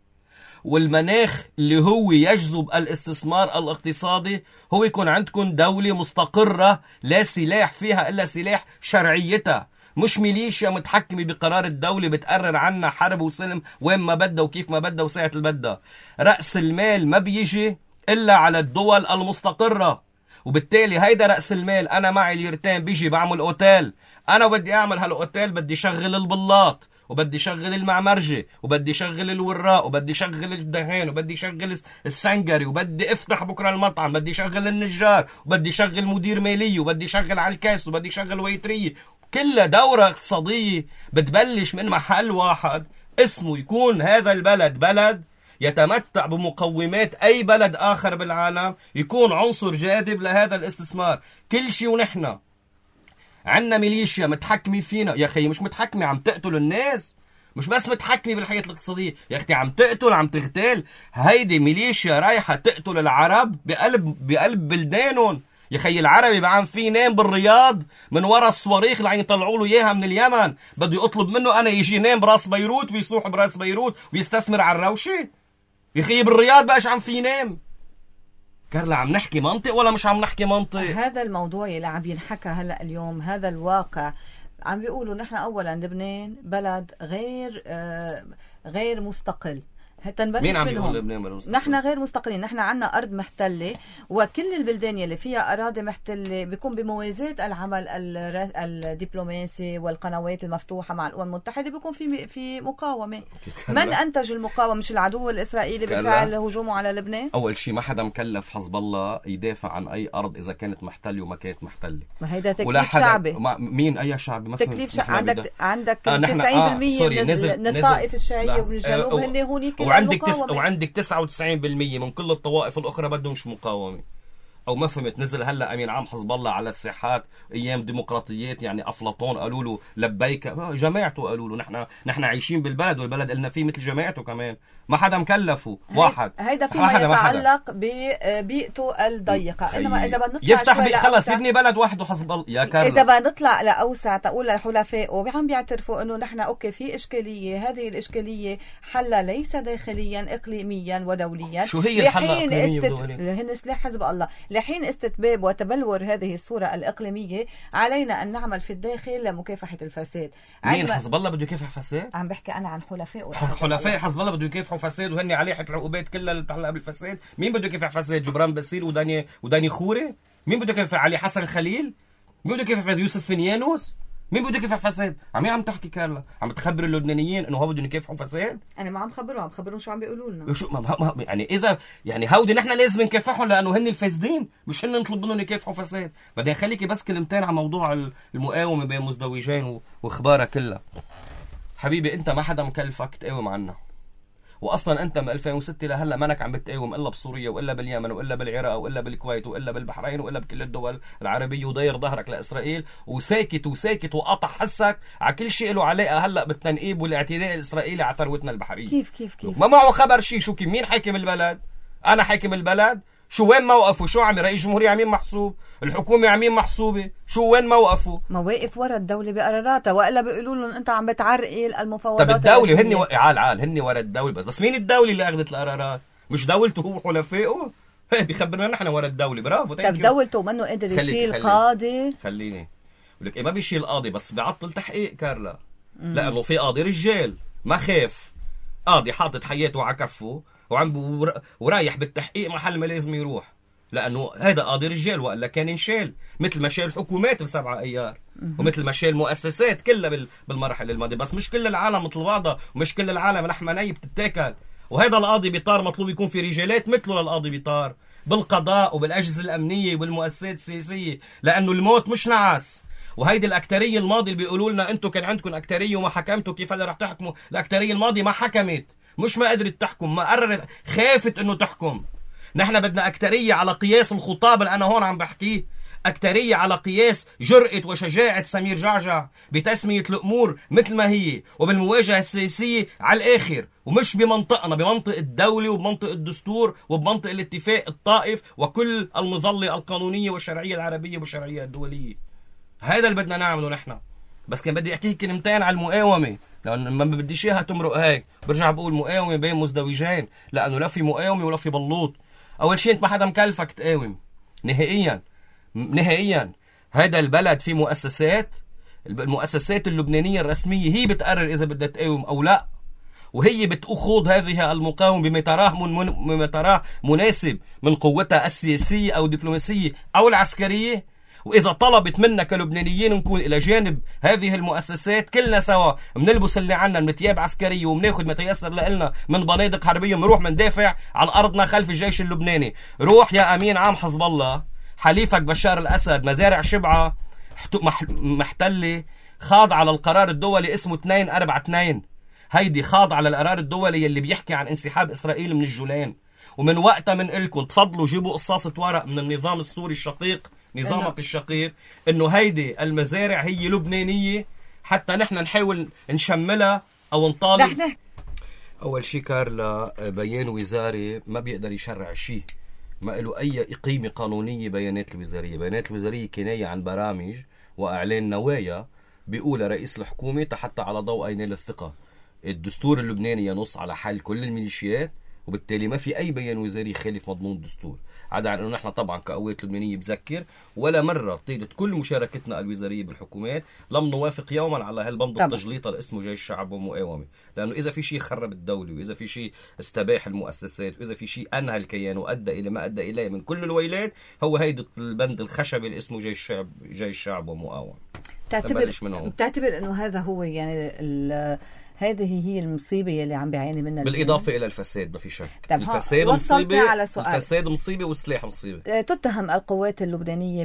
والمناخ اللي هو يجذب الاستثمار الاقتصادي هو يكون عندكم دولة مستقرة لا سلاح فيها إلا سلاح شرعيتها، مش ميليشيا متحكمة بقرار الدولة بتقرر عنا حرب وسلم وين ما بدها وكيف ما بدها وساعة اللي بدها. رأس المال ما بيجي إلا على الدول المستقرة، وبالتالي هيدا رأس المال. أنا معي ليرتين بيجي بعمل أوتيل، أنا بدي أعمل هالأوتيل بدي شغل البلاط وبدي شغل المعمرجة وبدي شغل الوراق وبدي شغل الدهان وبدي شغل السنجري وبدي افتح بكرة المطعم، بدي شغل النجار وبدي شغل مدير مالية وبدي شغل على الكاس وبدي شغل ويترية. كلها دورة اقتصادية بتبلش من محل واحد اسمه يكون هذا البلد بلد يتمتع بمقومات أي بلد آخر بالعالم، يكون عنصر جاذب لهذا الاستثمار. كل شيء ونحن عنا ميليشيا متحكمة فينا. يا أخي مش متحكمة، عم تقتل الناس، مش بس متحكمة بالحياة الاقتصادية يا أختي، عم تقتل، عم تغتال. هيدي ميليشيا رايحة تقتل العرب بقلب بلدانهم. يا أخي العربي بعم في نام بالرياض من وراء الصواريخ اللي عم يطلعوا له إياها من اليمن، بده يطلب منه أنا يجي نام براس بيروت ويصوح براس بيروت ويستثمر على الروشة. يا أخي بالرياض بقاش عم في نام. كارلا عم نحكي منطق ولا مش عم نحكي منطق؟ هذا الموضوع اللي عم ينحكى هلأ اليوم، هذا الواقع. عم بيقولوا نحن أولا لبنان بلد غير مستقل. مين عم بيقول لبنان نحن غير مستقلين، نحن عنا أرض محتلة، وكل البلدان اللي فيها أراضي محتلة بيكون بموازاة العمل الدبلوماسي والقنوات المفتوحة مع الأمم المتحدة بيكون في مقاومة. من أنتج المقاومة؟ مش العدو الإسرائيلي بفعل هجومه على لبنان؟ أول شيء ما حدا مكلف حزب الله يدافع عن أي أرض إذا كانت محتلة وما كانت محتلة. ما هيدا تكليف شعبي. مين أي شعبي؟ تكليف شعبي. عندك 90% من الطائف الشيعية ومن الجنوب هن هونيك. وعندك 99% من كل الطوائف الأخرى بدهمش مقاومة. أو ما فهمت؟ نزل هلا أمين عام حزب الله على الساحات أيام ديمقراطيات، يعني أفلاطون قالوا له لبيك، جماعته قالوا له نحن عايشين بالبلد والبلد قلنا فيه مثل جماعته كمان، ما حدا مكلفه واحد. هيدا فيما يتعلق ببيئته الضيقة. إنما إذا بدنا نطلع يفتح خلص يبني بلد وحده حزب الله يا كارلا. إذا بدنا نطلع لأوسع تقول لحلفائه عم بيعترفوا إنه نحن أوكي في إشكالية، هذه الإشكالية حلها ليس داخليا إقليميا ودوليا. شو هي الحل الإقليمية ودوليا؟ هن سلاح حزب الله. لحين استتباب وتبلور هذه الصورة الإقليمية علينا أن نعمل في الداخل لمكافحة الفساد. مين حزب الله بده يكافح فساد؟ عم بحكي أنا عن حلفاء حزب الله بده يكافحوا فساد وهن عليه العقوبات كلها اللي بتعلق بالفساد. مين بده يكافح فساد؟ جبران باسيل وداني خوري؟ مين بده يكافح علي حسن خليل؟ مين بده يكافح يوسف فنيانوس؟ مين بده يكافح فساد؟ عم تحكي كارلا، عم تخبر اللبنانيين انه هو بدهم يكافحوا فساد؟ انا ما عم خبرهم شو عم بيقولوا لنا. شو يعني اذا يعني هودي نحن لازم نكافحهم لانه هن الفاسدين، مش هن نطلب منهم يكافحوا فساد. بدي خليكي بس كلمتين عن موضوع المقاومه بين مزدوجين واخبارها كلها. حبيبي انت ما حدا مكلفك تقاوم عنا، واصلا انت من 2006 لهلا مانك عم بتقاوم الا بسوريا والا باليمن والا بالعراق والا بالكويت والا بالبحرين والا بكل الدول العربيه، وداير ظهرك لاسرائيل وساكت وقاطع حسك على كل شيء له علاقه هلا بالتنقيب والاعتداء الاسرائيلي على ثروتنا البحريه. كيف ما معه خبر شيء. شو مين حاكم البلد؟ انا حاكم البلد. شو وين موقفه؟ شو عم رئيس الجمهورية عمين محسوب؟ الحكومة عمين محسوبة؟ شو وين موقفه؟ مواقف ورا الدولة بقراراتها، وإلا بيقولوا لهم أنت عم بتعرقل المفاوضات. طب الدولة هن عال هن ورا الدولة بس مين الدولة اللي أخذت القرارات؟ مش دولته هو وحلفائه؟ بيخبرنا نحن ورا الدولة. برافو. طب دولته منه قدر يشيل قاضي؟ خليني ولك ما بيشيل قاضي بس بيعطل تحقيق كارلا. لأنه في قاضي رجال ما خاف، قاضي حاطط حياته على كفه ورايح بالتحقيق محل ما لازم يروح، لأنه هذا قاضي رجال وإلا كان ينشال مثل ما شال الحكومات ب7 أيار ومثل ما شال المؤسسات كلها بالمرحلة الماضية. بس مش كل العالم مثل بعضها ومش كل العالم لحمة ني بتتاكل. وهذا القاضي بيطار مطلوب يكون في رجالات مثله للقاضي بيطار بالقضاء وبالأجهزة الأمنية والمؤسسات السياسية، لأنه الموت مش نعاس. وهيدي الأكترية الماضي اللي بيقولوا لنا أنتوا كان عندكم أكترية وما حكمتوا، كيف اللي رح تحكموا؟ الأكترية الماضي ما حكمت، مش ما قدرت تحكم، ما قررت، خافت انه تحكم. نحن بدنا اكترية على قياس الخطاب اللي انا هون عم بحكيه. أكترية على قياس جرأة وشجاعة سمير جعجع بتسمية الأمور مثل ما هي وبالمواجهة السياسية على الآخر، ومش بمنطقنا، بمنطق الدولة وبمنطق الدستور وبمنطق الاتفاق الطائف وكل المظلة القانونية والشرعية العربية والشرعية الدولية. هذا اللي بدنا نعمله نحن. بس كان بدي أحكي كلمتين على المقاومة، لأن ما بديش إياها تمرق هيك. برجع بقول مقاومة بين مزدوجين، لأنه لا في مقاومة ولا في بلوط. أول شيء أنت ما حدا مكلفك تقاوم نهائيا نهائيا. هذا البلد فيه مؤسسات، المؤسسات اللبنانية الرسمية هي بتقرر إذا بدها تقاوم أو لا، وهي بتخوض هذه المقاومة بما تراه مناسب من قوتها السياسية أو الدبلوماسية أو العسكرية. وإذا طلبت منا كلبنانيين نكون إلى جانب هذه المؤسسات كلنا سوا، منلبس اللي عنا من ثياب عسكرية ومناخد ما تيسر لنا من بنادق حربية، منروح مندافع عن أرضنا خلف الجيش اللبناني. روح يا أمين عام حزب الله، حليفك بشار الأسد مزارع شبعة محتلة، خاض على القرار الدولي اسمه 242. هيدي خاض على القرار الدولي اللي بيحكي عن انسحاب إسرائيل من الجولان. ومن وقتها من إلكم تفضلوا جيبوا قصاصة ورق من النظام السوري الشقيق، نظامك الشقيق، انه هيدي المزارع هي لبنانية، حتى نحن نحاول نشملها او نطالب. اول شيء كارلا، بيان وزاري ما بيقدر يشرع شيء، ما له اي قيمة قانونية. بيانات الوزارية، بيانات الوزارية كناية عن برامج واعلان نوايا بيقولها رئيس الحكومة حتى على ضوء ينال الثقة. الدستور اللبناني ينص على حل كل الميليشيات، وبالتالي ما في أي بيان وزاري يخالف مضمون الدستور. عدا عن أنه نحن طبعا كقوات لبنانية بذكر ولا مرة طيلت كل مشاركتنا الوزارية بالحكومات لم نوافق يوما على هالبند التجليطة اللي اسمه جيش الشعب ومقاومة. لأنه إذا في شيء خرب الدولة، وإذا في شيء استباح المؤسسات، وإذا في شيء أنهى الكيان وأدى إلى ما أدى إليه من كل الويلات، هو هيدا البند الخشبي اللي اسمه جيش الشعب ومقاومة. بتعتبر أنه هذا هو يعني هذه هي المصيبة اللي عم بيعاني منها، بالإضافة إلى الفساد. ما في شك الفساد مصيبة، الفساد مصيبة والسلاح مصيبة. تتهم القوات اللبنانية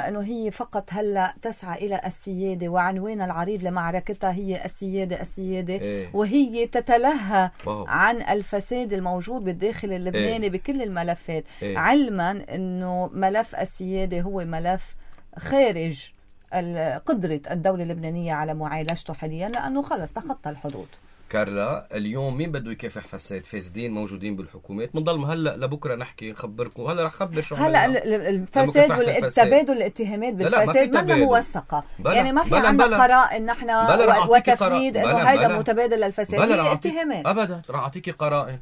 أنه هي فقط هلأ تسعى إلى السيادة، وعنوان العريض لمعركتها هي السيادة وهي تتلهى عن الفساد الموجود بالداخل اللبناني بكل الملفات، علما أنه ملف السيادة هو ملف خارج قدرة الدولة اللبنانية على معالجته حاليا، لأنه خلص تخطى الحدود. كارلا، اليوم مين بده يكافح فساد؟ فاسدين موجودين بالحكومات. منضل هلا لبكره نحكي نخبركم. هلا رح خبر شو هلا الفساد والتبادل الاتهامات بالفساد ما موثقة، يعني ما في عندنا قرائن نحن وتفنيد انه هيدا متبادل للفساد، هي اتهامات. ابدا رح اعطيكي قرائن.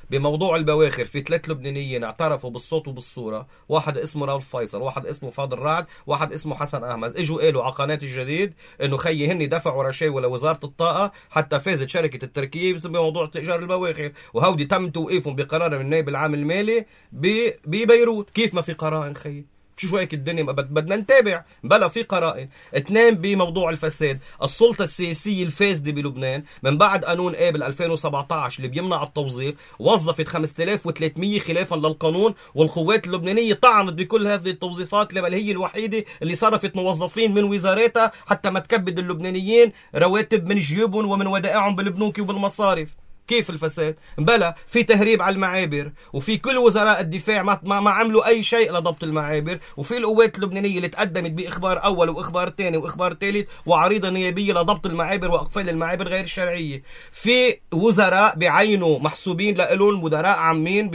بموضوع البواخر في 3 لبنانيين اعترفوا بالصوت وبالصورة، واحد اسمه رالف فيصل، واحد اسمه فاضل رعد، واحد اسمه حسن أحمد. اجوا قالوا على قناة الجديد انه خيي هني دفعوا رشاوى لوزارة الطاقة حتى فازت شركة التركيب بموضوع تأجار البواخر، وهودي تم توقيفهم بقرار من النائب العام المالي ببيروت. كيف ما في قرائن خيي؟ شو هيك الدنيا؟ بدنا نتابع. بلا في قرائن. 2 بموضوع الفساد، السلطة السياسية الفاسدة بلبنان من بعد قانون قابل 2017 اللي بيمنع التوظيف وظفت 5300 خلافا للقانون، والقوات اللبنانية طعنت بكل هذه التوظيفات، بل هي الوحيدة اللي صرفت موظفين من وزاراتها حتى ما تكبد اللبنانيين رواتب من جيوبهم ومن ودائعهم بالبنوك وبالمصارف. كيف الفساد؟ بلا في تهريب على المعابر، وفي كل وزراء الدفاع ما عملوا أي شيء لضبط المعابر، وفي القوات اللبنانية اللي تقدمت بإخبار أول وإخبار ثاني وإخبار ثالث وعريضة نيابية لضبط المعابر وأقفال المعابر غير الشرعية. في وزراء بعينوا محسوبين لهم مدراء عامين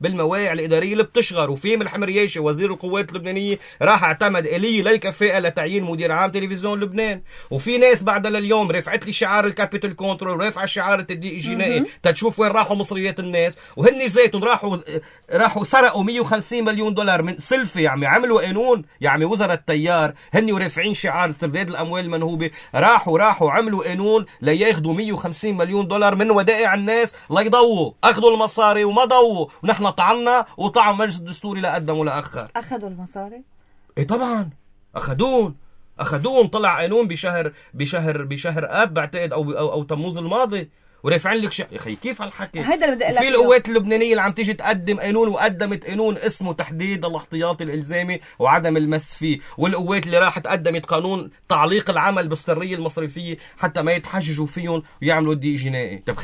بالمواقع الإدارية اللي بتشغر. وفي ملح مرياشي وزير القوات اللبنانية راح اعتمد آلية للكفاءة لتعيين مدير عام تلفزيون لبنان. وفي ناس بعد لليوم رفعت لي شعار الكابيتال كنترول، رفع شعار الدي جنائي، تتشوف وين راحوا مصريات الناس. وهن زيتون راحوا سرقوا 150 مليون دولار من سلفة. يعني عملوا قانون، يعني وزراء التيار هن ورافعين شعار استرداد الاموال المنهوبة، راحوا عملوا قانون لياخذوا 150 مليون دولار من ودائع الناس ليضووا. اخذوا المصاري وما ضووا، ونحن طعنا وطعن مجلس الدستوري لا قدم ولا اخر. اخذوا المصاري؟ ايه طبعا اخذون. طلع قانون بشهر اب بعتقد او تموز الماضي، ورافعين لك يا اخي كيف هالحكي؟ هيدا اللي بدي اقول لك. في القوات اللبنانيه اللي عم تيجي تقدم قانون، وقدمت قانون اسمه تحديد الاحتياطي الالزامي وعدم المس فيه، والقوات اللي راحت قدمت قانون تعليق العمل بالسريه المصرفيه حتى ما يتحججوا فيهم ويعملوا دي جنائي. طب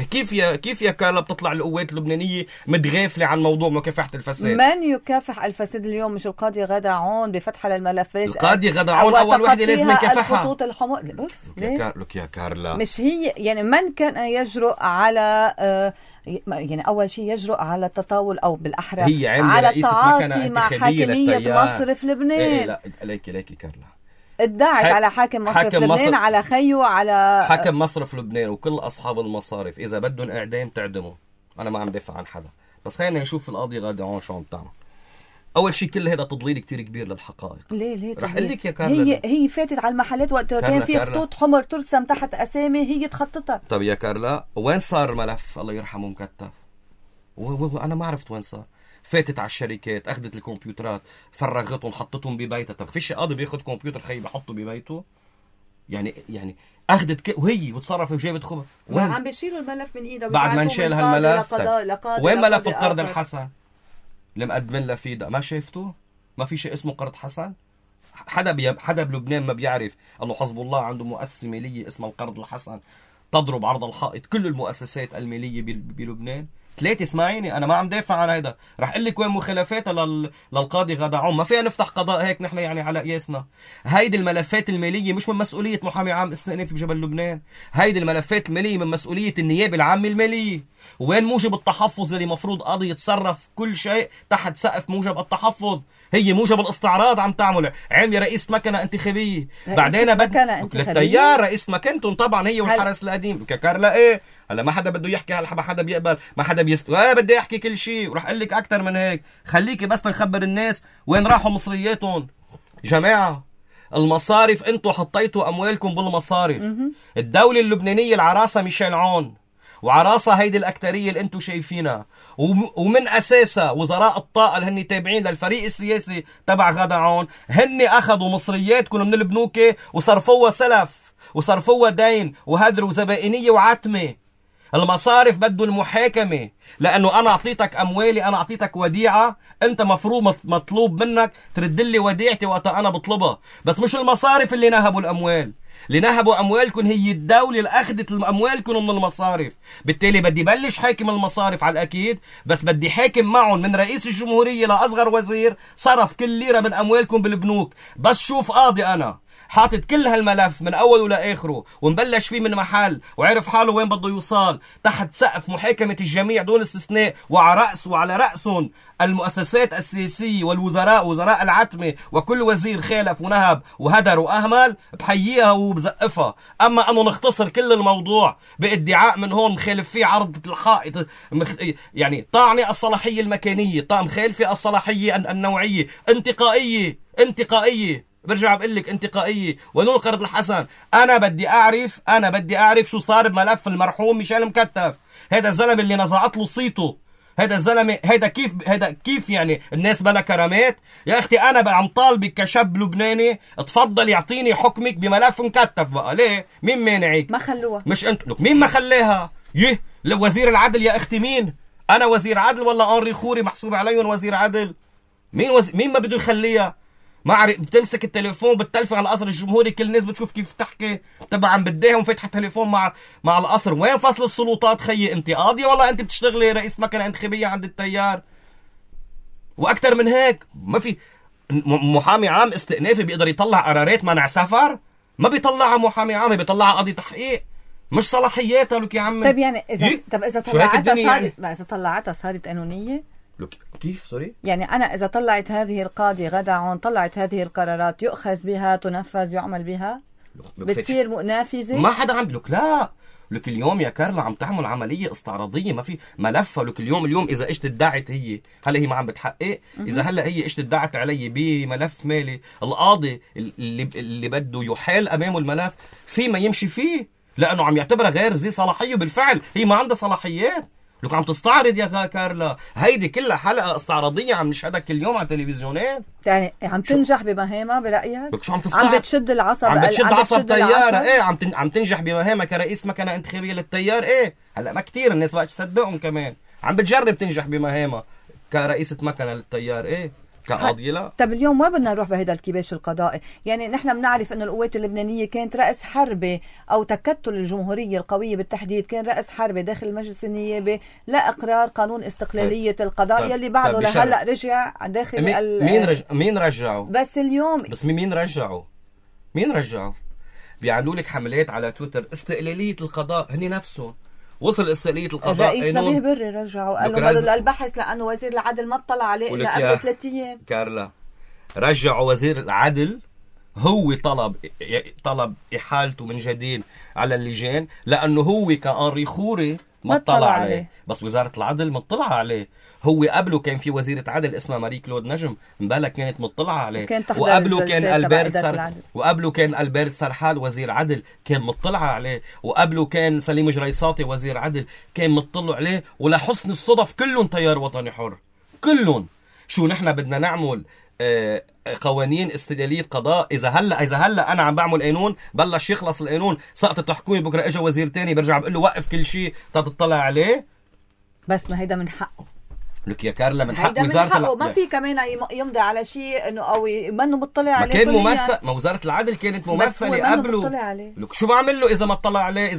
كيف يا كارلا بتطلع القوات اللبنانيه متغافله عن موضوع مكافحه الفساد؟ من يكافح الفساد اليوم؟ مش القاضي غادة عون بفتح للملفات؟ القاضي غادة عون اول وحده لازم يكافحها. الخطوط الحمر. لك يا كارلا، مش هي يعني من كان يجرؤ على يعني أول شيء يجرؤ على التطاول أو بالأحرى على التعاطي مع حاكمية مصرف لبنان. إيه لا ليكي كارلا ادعت على حاكم مصرف لبنان، على خيو، على حاكم مصرف لبنان وكل أصحاب المصارف. إذا بدهم إعدام تعدموا، أنا ما عم دافع عن حدا، بس خلينا نشوف القاضي غادة عون شو عم تعمل. أول شيء كل هذا تضليل كتير كبير للحقائق. ليه رح أقول لك يا كارلا، هي فاتت على المحلات وقت كان في خطوط حمر ترسم تحت أسامي هي تخططها. طب يا كارلا وين صار ملف الله يرحمه مكتف؟ وأنا ما عرفت وين صار. فاتت على الشركات، أخذت الكمبيوترات، فرغتهم، حطتهم ببيتها. طب فيش قاضي بياخد كمبيوتر خي بحطه ببيته؟ يعني أخذت وهي وتصرف وجابت خبر. عم بيشيلوا الملف من إيده بعد ما انشال هالملف. وين ملف القرض آخر. الحسن اللي مقدمين له فيه؟ ما شايفتوه؟ ما في شيء اسمه قرض حسن. حدا بلبنان ما بيعرف انه حزب الله عنده مؤسسه ماليه اسمها القرض الحسن تضرب عرض الحائط كل المؤسسات الماليه بلبنان. ثلاثة اسمعيني، انا ما عم دافع عن هيدا. رح اقول لك وين مخالفاتها للقاضي غادة عون. ما فينا نفتح قضاء هيك نحن يعني على قياسنا. هيدي الملفات الماليه مش من مسؤوليه محامي عام استئنافي بجبل لبنان. هيدي الملفات الماليه من مسؤوليه النيابه العامه الماليه. وين موجب التحفظ اللي مفروض قاضي يتصرف كل شيء تحت سقف موجب التحفظ؟ هي موجب الاستعراض عم تعمله. عامله رئيس مكنه انتخابيه، بعدين للتيار رئيس مكنتهم طبعا هي والحرس القديم. كارلا ايه هلا ما حدا بده يحكي، ما حدا بيقبل، ما حدا بدي احكي كل شيء. وراح اقول لك اكثر من هيك. خليكي بس نخبر الناس وين راحوا مصرياتهم. جماعه المصارف انتم حطيتوا اموالكم بالمصارف. الدوله اللبنانيه العراسه ميشيل عون، وعراسة هيدي الأكترية اللي انتم شايفينها، ومن أساسها وزراء الطاقة اللي هن تابعين للفريق السياسي تبع غادة عون، هن أخذوا مصرياتكم من البنوك وصرفوها سلف وصرفوها دين وهدر وزبائنية وعتمة. المصارف بده المحاكمة، لأنه أنا أعطيتك أموالي، أنا أعطيتك وديعة، أنت مفروض مطلوب منك ترد لي وديعتي وقت أنا بطلبها. بس مش المصارف اللي نهبوا الأموال. اللي نهبوا أموالكم هي الدولة اللي أخذت أموالكم من المصارف. بالتالي بدي بلش حاكم المصارف على الأكيد، بس بدي حاكم معهم من رئيس الجمهورية لأصغر وزير صرف كل ليرة من أموالكم بالبنوك. بس شوف قاضي أنا حاطط كل هالملف من أوله لآخره ومبلش فيه من محل وعرف حاله وين بده يوصل تحت سقف محاكمة الجميع دون استثناء، وعلى رأسهم المؤسسات السياسية والوزراء، وزراء العتمة، وكل وزير خالف ونهب وهدر وأهمل بحييها وبزقفها. أما أنه نختصر كل الموضوع بادعاء من هون مخالف فيه عرض الحائط، يعني طاعني الصلاحية المكانية، مخالفة الصلاحية النوعية، انتقائية. برجع بقول لك انتقائية. ونقول قرض الحسن. أنا بدي أعرف شو صار بملف المرحوم ميشيل مكتف. هذا الزلمة اللي نزعت له صيته، هذا الزلمة هذا كيف يعني الناس بلا كرامات؟ يا أختي أنا عم طالبك كشاب لبناني تفضل يعطيني حكمك بملف مكتف. بقى ليه؟ مين مانعك؟ ما خلوها. مش أنت. لك مين ما خليها؟ وزير العدل يا أختي. مين؟ أنا وزير عدل ولا أنري خوري محسوب عليهم وزير عدل؟ مين ما بده يخليها؟ ما عارف. بتمسك التليفون بتلفي على القصر الجمهوري، كل الناس بتشوف كيف تحكي. طبعا بديهم فاتحه تليفون مع القصر. وين فصل السلطات خيي؟ انت قاضيه ولا انت بتشتغلي رئيس مكنه انتخابيه عند التيار؟ واكثر من هيك ما في. محامي عام استئنافي بيقدر يطلع قرارات منع سفر؟ ما بيطلعها محامي عام، بيطلعها قاضي تحقيق. مش صلاحياتها. لك يا عمي طيب يعني اذا طلعتها صارت قانونيه؟ كيف سوري؟ يعني أنا إذا طلعت هذه القاضي غادة عون طلعت هذه القرارات يؤخذ بها، تنفذ، يعمل بها، بتصير نافذة؟ ما حدا عم بلوك. لا لك اليوم يا كارلا عم تعمل عملية استعراضية، ما في ملفها. لك اليوم إذا اجت ادعت هي، هلا هي ما عم بتحقق. إذا هلا هي اجت ادعت علي بملف مالي، القاضي اللي بده يحال أمامه الملف في ما يمشي فيه، لأنه عم يعتبرها غير ذي صلاحية. بالفعل هي ما عندها صلاحيات. لك عم تستعرض يا كارلا. هيدي كلها حلقة استعراضية عم نشهدها كل يوم على التلفزيونات. يعني عم تنجح بمهامها برأيك؟ لك شو عم بتشد العصب؟ عم بتشد عصب تيار. ايه عم تنجح بمهامها كرئيس مكنة انتخابية للتيار. ايه هلا ما كتير الناس بقى تصدقهم كمان، عم بتجرب تنجح بمهامها كرئيسة مكنة للتيار، ايه كقاضية لا. طب اليوم ما بدنا نروح بهذا الكباش القضائي، يعني نحن بنعرف انه القوات اللبنانية كانت رأس حربة او تكتل الجمهورية القوية بالتحديد كان رأس حربة داخل المجلس النيابي لإقرار قانون استقلالية القضاء يلي بعده لهلا رجع داخل مين رجعه؟ بس اليوم بس مين رجعه؟ بيعملوا لك حملات على تويتر استقلالية القضاء، هني نفسهم وصل استقلالية القضاء. الرئيس نبيه بري رجعوا قال له بدل البحث لأنه وزير العدل ما اطلع عليه إلا قبل 3 أيام. كارلا رجعوا وزير العدل، هو طلب إحالته من جديد على اللجان لأنه هو كأنري خوري ما اطلع عليه. بس وزارة العدل مطلعة عليه. هو قبله كان في وزيرة عدل اسمها ماري كلود نجم مبالغ كانت مطلعة عليه، وقبله كان ألبرت سرحال وزير عدل كان مطلعة عليه، وقبله كان سليم جريصاتي وزير عدل كان مطلع عليه. ولحسن الصدف كلهم تيار وطني حر، كلهم. شو نحن بدنا نعمل قوانين استقلالية قضاء؟ إذا هلا أنا عم بعمل قانون بلش يخلص القانون سقطت الحكومة، بكرة إجا وزير تاني برجع بقول له وقف كل شيء تطلع عليه. بس ما هيدا من حقه لك يا كارلا، من حق وزارة ما في كمان يمضي على شيء انه او منه مطلع عليه. ما كان ممثل، ما وزارة العدل كانت ممثلة قبله. لك شو بعمل له اذا ما اطلع عليه؟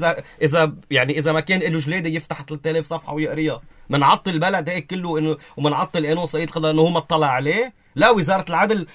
اذا ما كان له جلاده يفتح 3000 صفحة ويقريها، منعطل البلد هيك كله انه ومنعطل قانون صعيد قضاء انه هو ما اطلع عليه. لا، وزارة العدل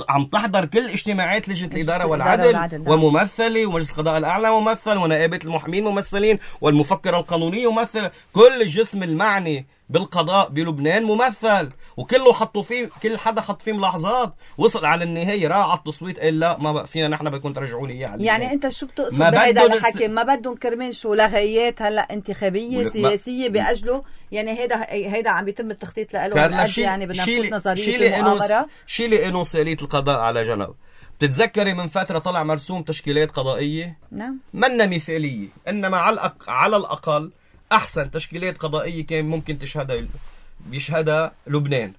عم تحضر كل اجتماعات لجنة الإدارة والعدل وممثلة، ومجلس القضاء الأعلى ممثل، ونائبة المحامين ممثلين، والمفكرة القانونية ممثلة. كل الجسم المعني بالقضاء بلبنان ممثل، وكله حطوا فيه، كل حدا حط فيه ملاحظات. وصل على النهاية راح على التصويت قال لا ما بقى فينا، نحن بدكم ترجعوا لي اياه. يعني انت شو بتقصد بهذا الحكي؟ ما بدهم كرمال شو لغايات هلا انتخابية سياسية بأجله؟ يعني هيدا عم بيتم التخطيط له. يعني بدنا نفوت نظرية المؤامرة. شيلي قانون استقلالية القضاء على جنب. بتتذكري من فترة طلع مرسوم تشكيلات قضائية؟ نعم. منا مثالية، إنما على الأقل أحسن تشكيلات قضائية كان ممكن بيشهدها لبنان،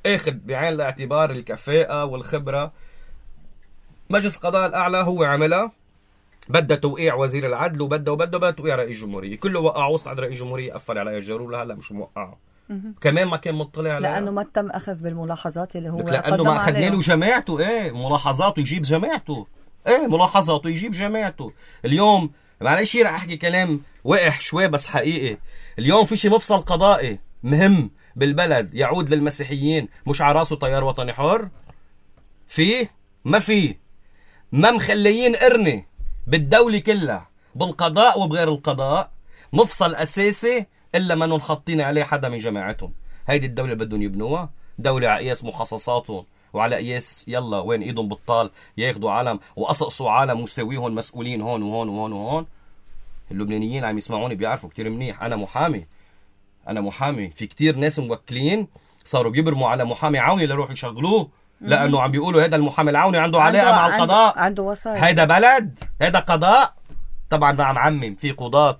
اخذ بعين الاعتبار الكفاءة والخبرة. مجلس القضاء الأعلى هو عملها، بدأ توقيع وزير العدل وبدأ توقيع رئيس الجمهورية، كله وقع وسط عند رئيس الجمهورية قفل على الجرور. هلا مش موقعه كمان، ما كان مطلع عليها لأنه ما تم أخذ بالملاحظات اللي هو لأنه ما أخذ له جماعته. ملاحظاته يجيب جماعته. ملاحظاته يجيب جماعته. اليوم معلش رح أحكي كلام وقح شوي بس حقيقي. اليوم في شي مفصل قضائي مهم بالبلد يعود للمسيحيين مش على راسه تيار وطني حر؟ ما مخليين قرنة بالدولة كلها، بالقضاء وبغير القضاء، مفصل أساسي إلا ما نحطين عليه حدا من جماعتهم. هيدي الدولة بدهم يبنوها دولة على قياس مخصصاتهم وعلى قياس يلا وين ايدهم بالطال ياخدوا عالم وقصقصوا عالم ويسويهم مسؤولين هون وهون وهون وهون. اللبنانيين عم يسمعوني بيعرفوا كتير منيح أنا محامي. في كتير ناس موكلين صاروا بيبرموا على محامي عوني لروح يشغلوه، لأنه عم بيقولوا هذا المحامي العوني عنده علاقة مع القضاء، عنده وسائل. هيدا بلد، هيدا قضاء. طبعا ما عم عمم، في قضاة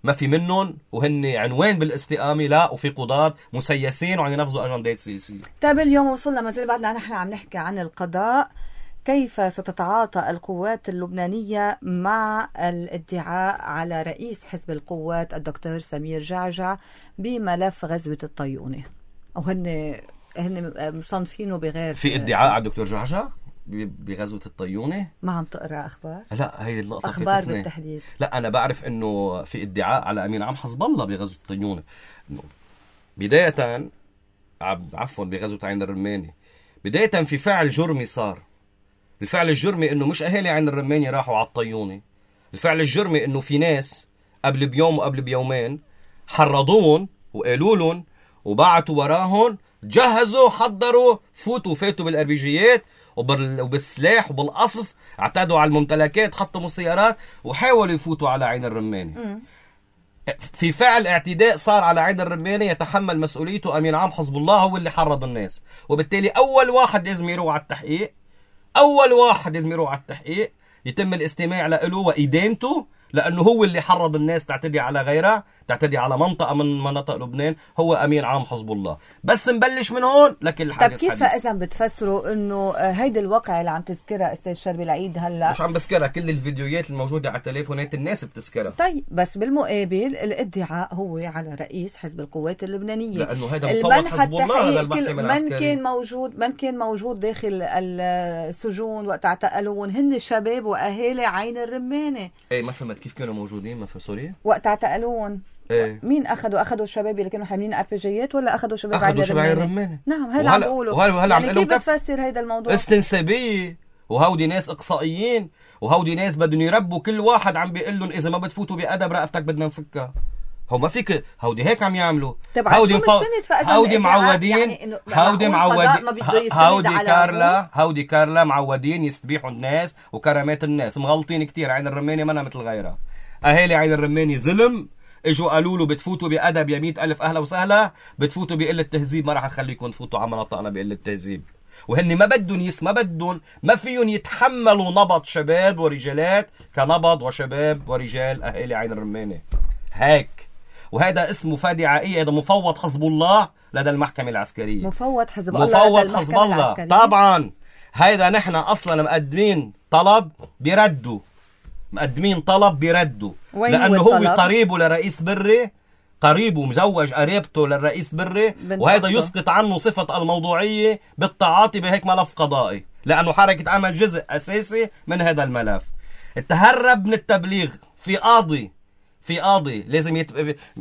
ما في منهم وهن عنوان بالاستقامة، لا، وفي قضاة مسيسين وعم ينفذوا أجندات سياسية. طيب اليوم وصلنا ما زال بعدنا نحن عم نحكي عن القضاء. كيف ستتعاطى القوات اللبنانية مع الادعاء على رئيس حزب القوات الدكتور سمير جعجع بملف غزوة الطيونة؟ وهن مصنفينه بغير في ادعاء على الدكتور جعجع بغزوة الطيونة؟ ما عم تقرأ أخبار؟ لا، هي اللقطة أخبار بالتحديد. لا، أنا بعرف إنه في ادعاء على أمين عام حزب الله بغزوة الطيونة. بداية بغزوة عين الرماني. بداية في فعل جرمي صار. الفعل الجرمي إنه مش أهالي عين الرماني راحوا على الطيونة. الفعل الجرمي إنه في ناس قبل بيوم وقبل بيومين حرضون وقالوا لهم وبعتوا وراهم، جهزوا حضروا فاتوا بالأربيجيات وبالسلاح وبالقصف، اعتادوا على الممتلكات، حطموا السيارات وحاولوا يفوتوا على عين الرماني. في فعل اعتداء صار على عين الرماني يتحمل مسؤوليته أمين عام حزب الله، هو اللي حرض الناس، وبالتالي أول واحد لازم يروح على التحقيق، يتم الاستماع له وإدانته، لأنه هو اللي حرض الناس تعتدي على غيرها، تعتدي على منطقة من مناطق لبنان. هو أمين عام حزب الله. بس نبلش من هون لكن الحديث. طب كيف إذا بتفسروا إنه هيدي الواقع اللي عم تذكرها أستاذ شربي العيد هلا؟ مش عم بذكرها، كل الفيديوهات الموجودة على تليفونات الناس بتذكرها. طيب بس بالمقابل الادعاء هو على رئيس حزب القوات اللبنانية، لأنه هذا مفوض حزب الله. هذا المحكمة العسكرية من كان موجود داخل السجون وقت اعتقلون هن شباب وأهالي عين الرمانة. ايه ما فهمت كيف كانوا موجودين؟ ما فهمت سوري. وقت اعتقلون ايه مين اخذوا الشباب اللي كانوا حاملين اربيجيات ولا اخذوا شباب عين الرمانة؟ نعم هلا عم بقولوا. يعني كيف بتفسر هيدا الموضوع؟ استنسابية، وهودي ناس اقصائيين، وهودي ناس بدهم يربوا كل واحد عم بيقول لهم اذا ما بتفوتوا بأدب رقبتك بدنا نفكها. هو ما فيك، هودي هيك عم يعملوا. هودي معودين يعني هودي كارلا معودين يستبيحوا الناس وكرامات الناس. مغلطين كتير. عين الرمانة منا مثل غيرها. اهالي عين الرمانة ظلم. اجوا قالوا له بتفوتوا بأدب يا 100,000 أهلا وسهلا، بتفوتوا بقلة تهذيب ما راح نخليكم تفوتوا على مناطقنا بقلة تهذيب. وهن ما فيهم يتحملوا نبض شباب ورجالات كنبض وشباب ورجال أهالي عين الرمانة هيك. وهذا اسمه فادي عائية. هذا مفوض حزب الله لدى المحكمة العسكرية. مفوض حزب الله طبعا. هذا نحن أصلا مقدمين طلب بيردوا لأنه هو قريبه لرئيس بري، قريبه مزوج قريبته للرئيس بري، وهذا يسقط عنه صفة الموضوعية بالتعاطي بهيك ملف قضائي، لأنه حركة عمل جزء أساسي من هذا الملف. تهرب من التبليغ في قاضي لازم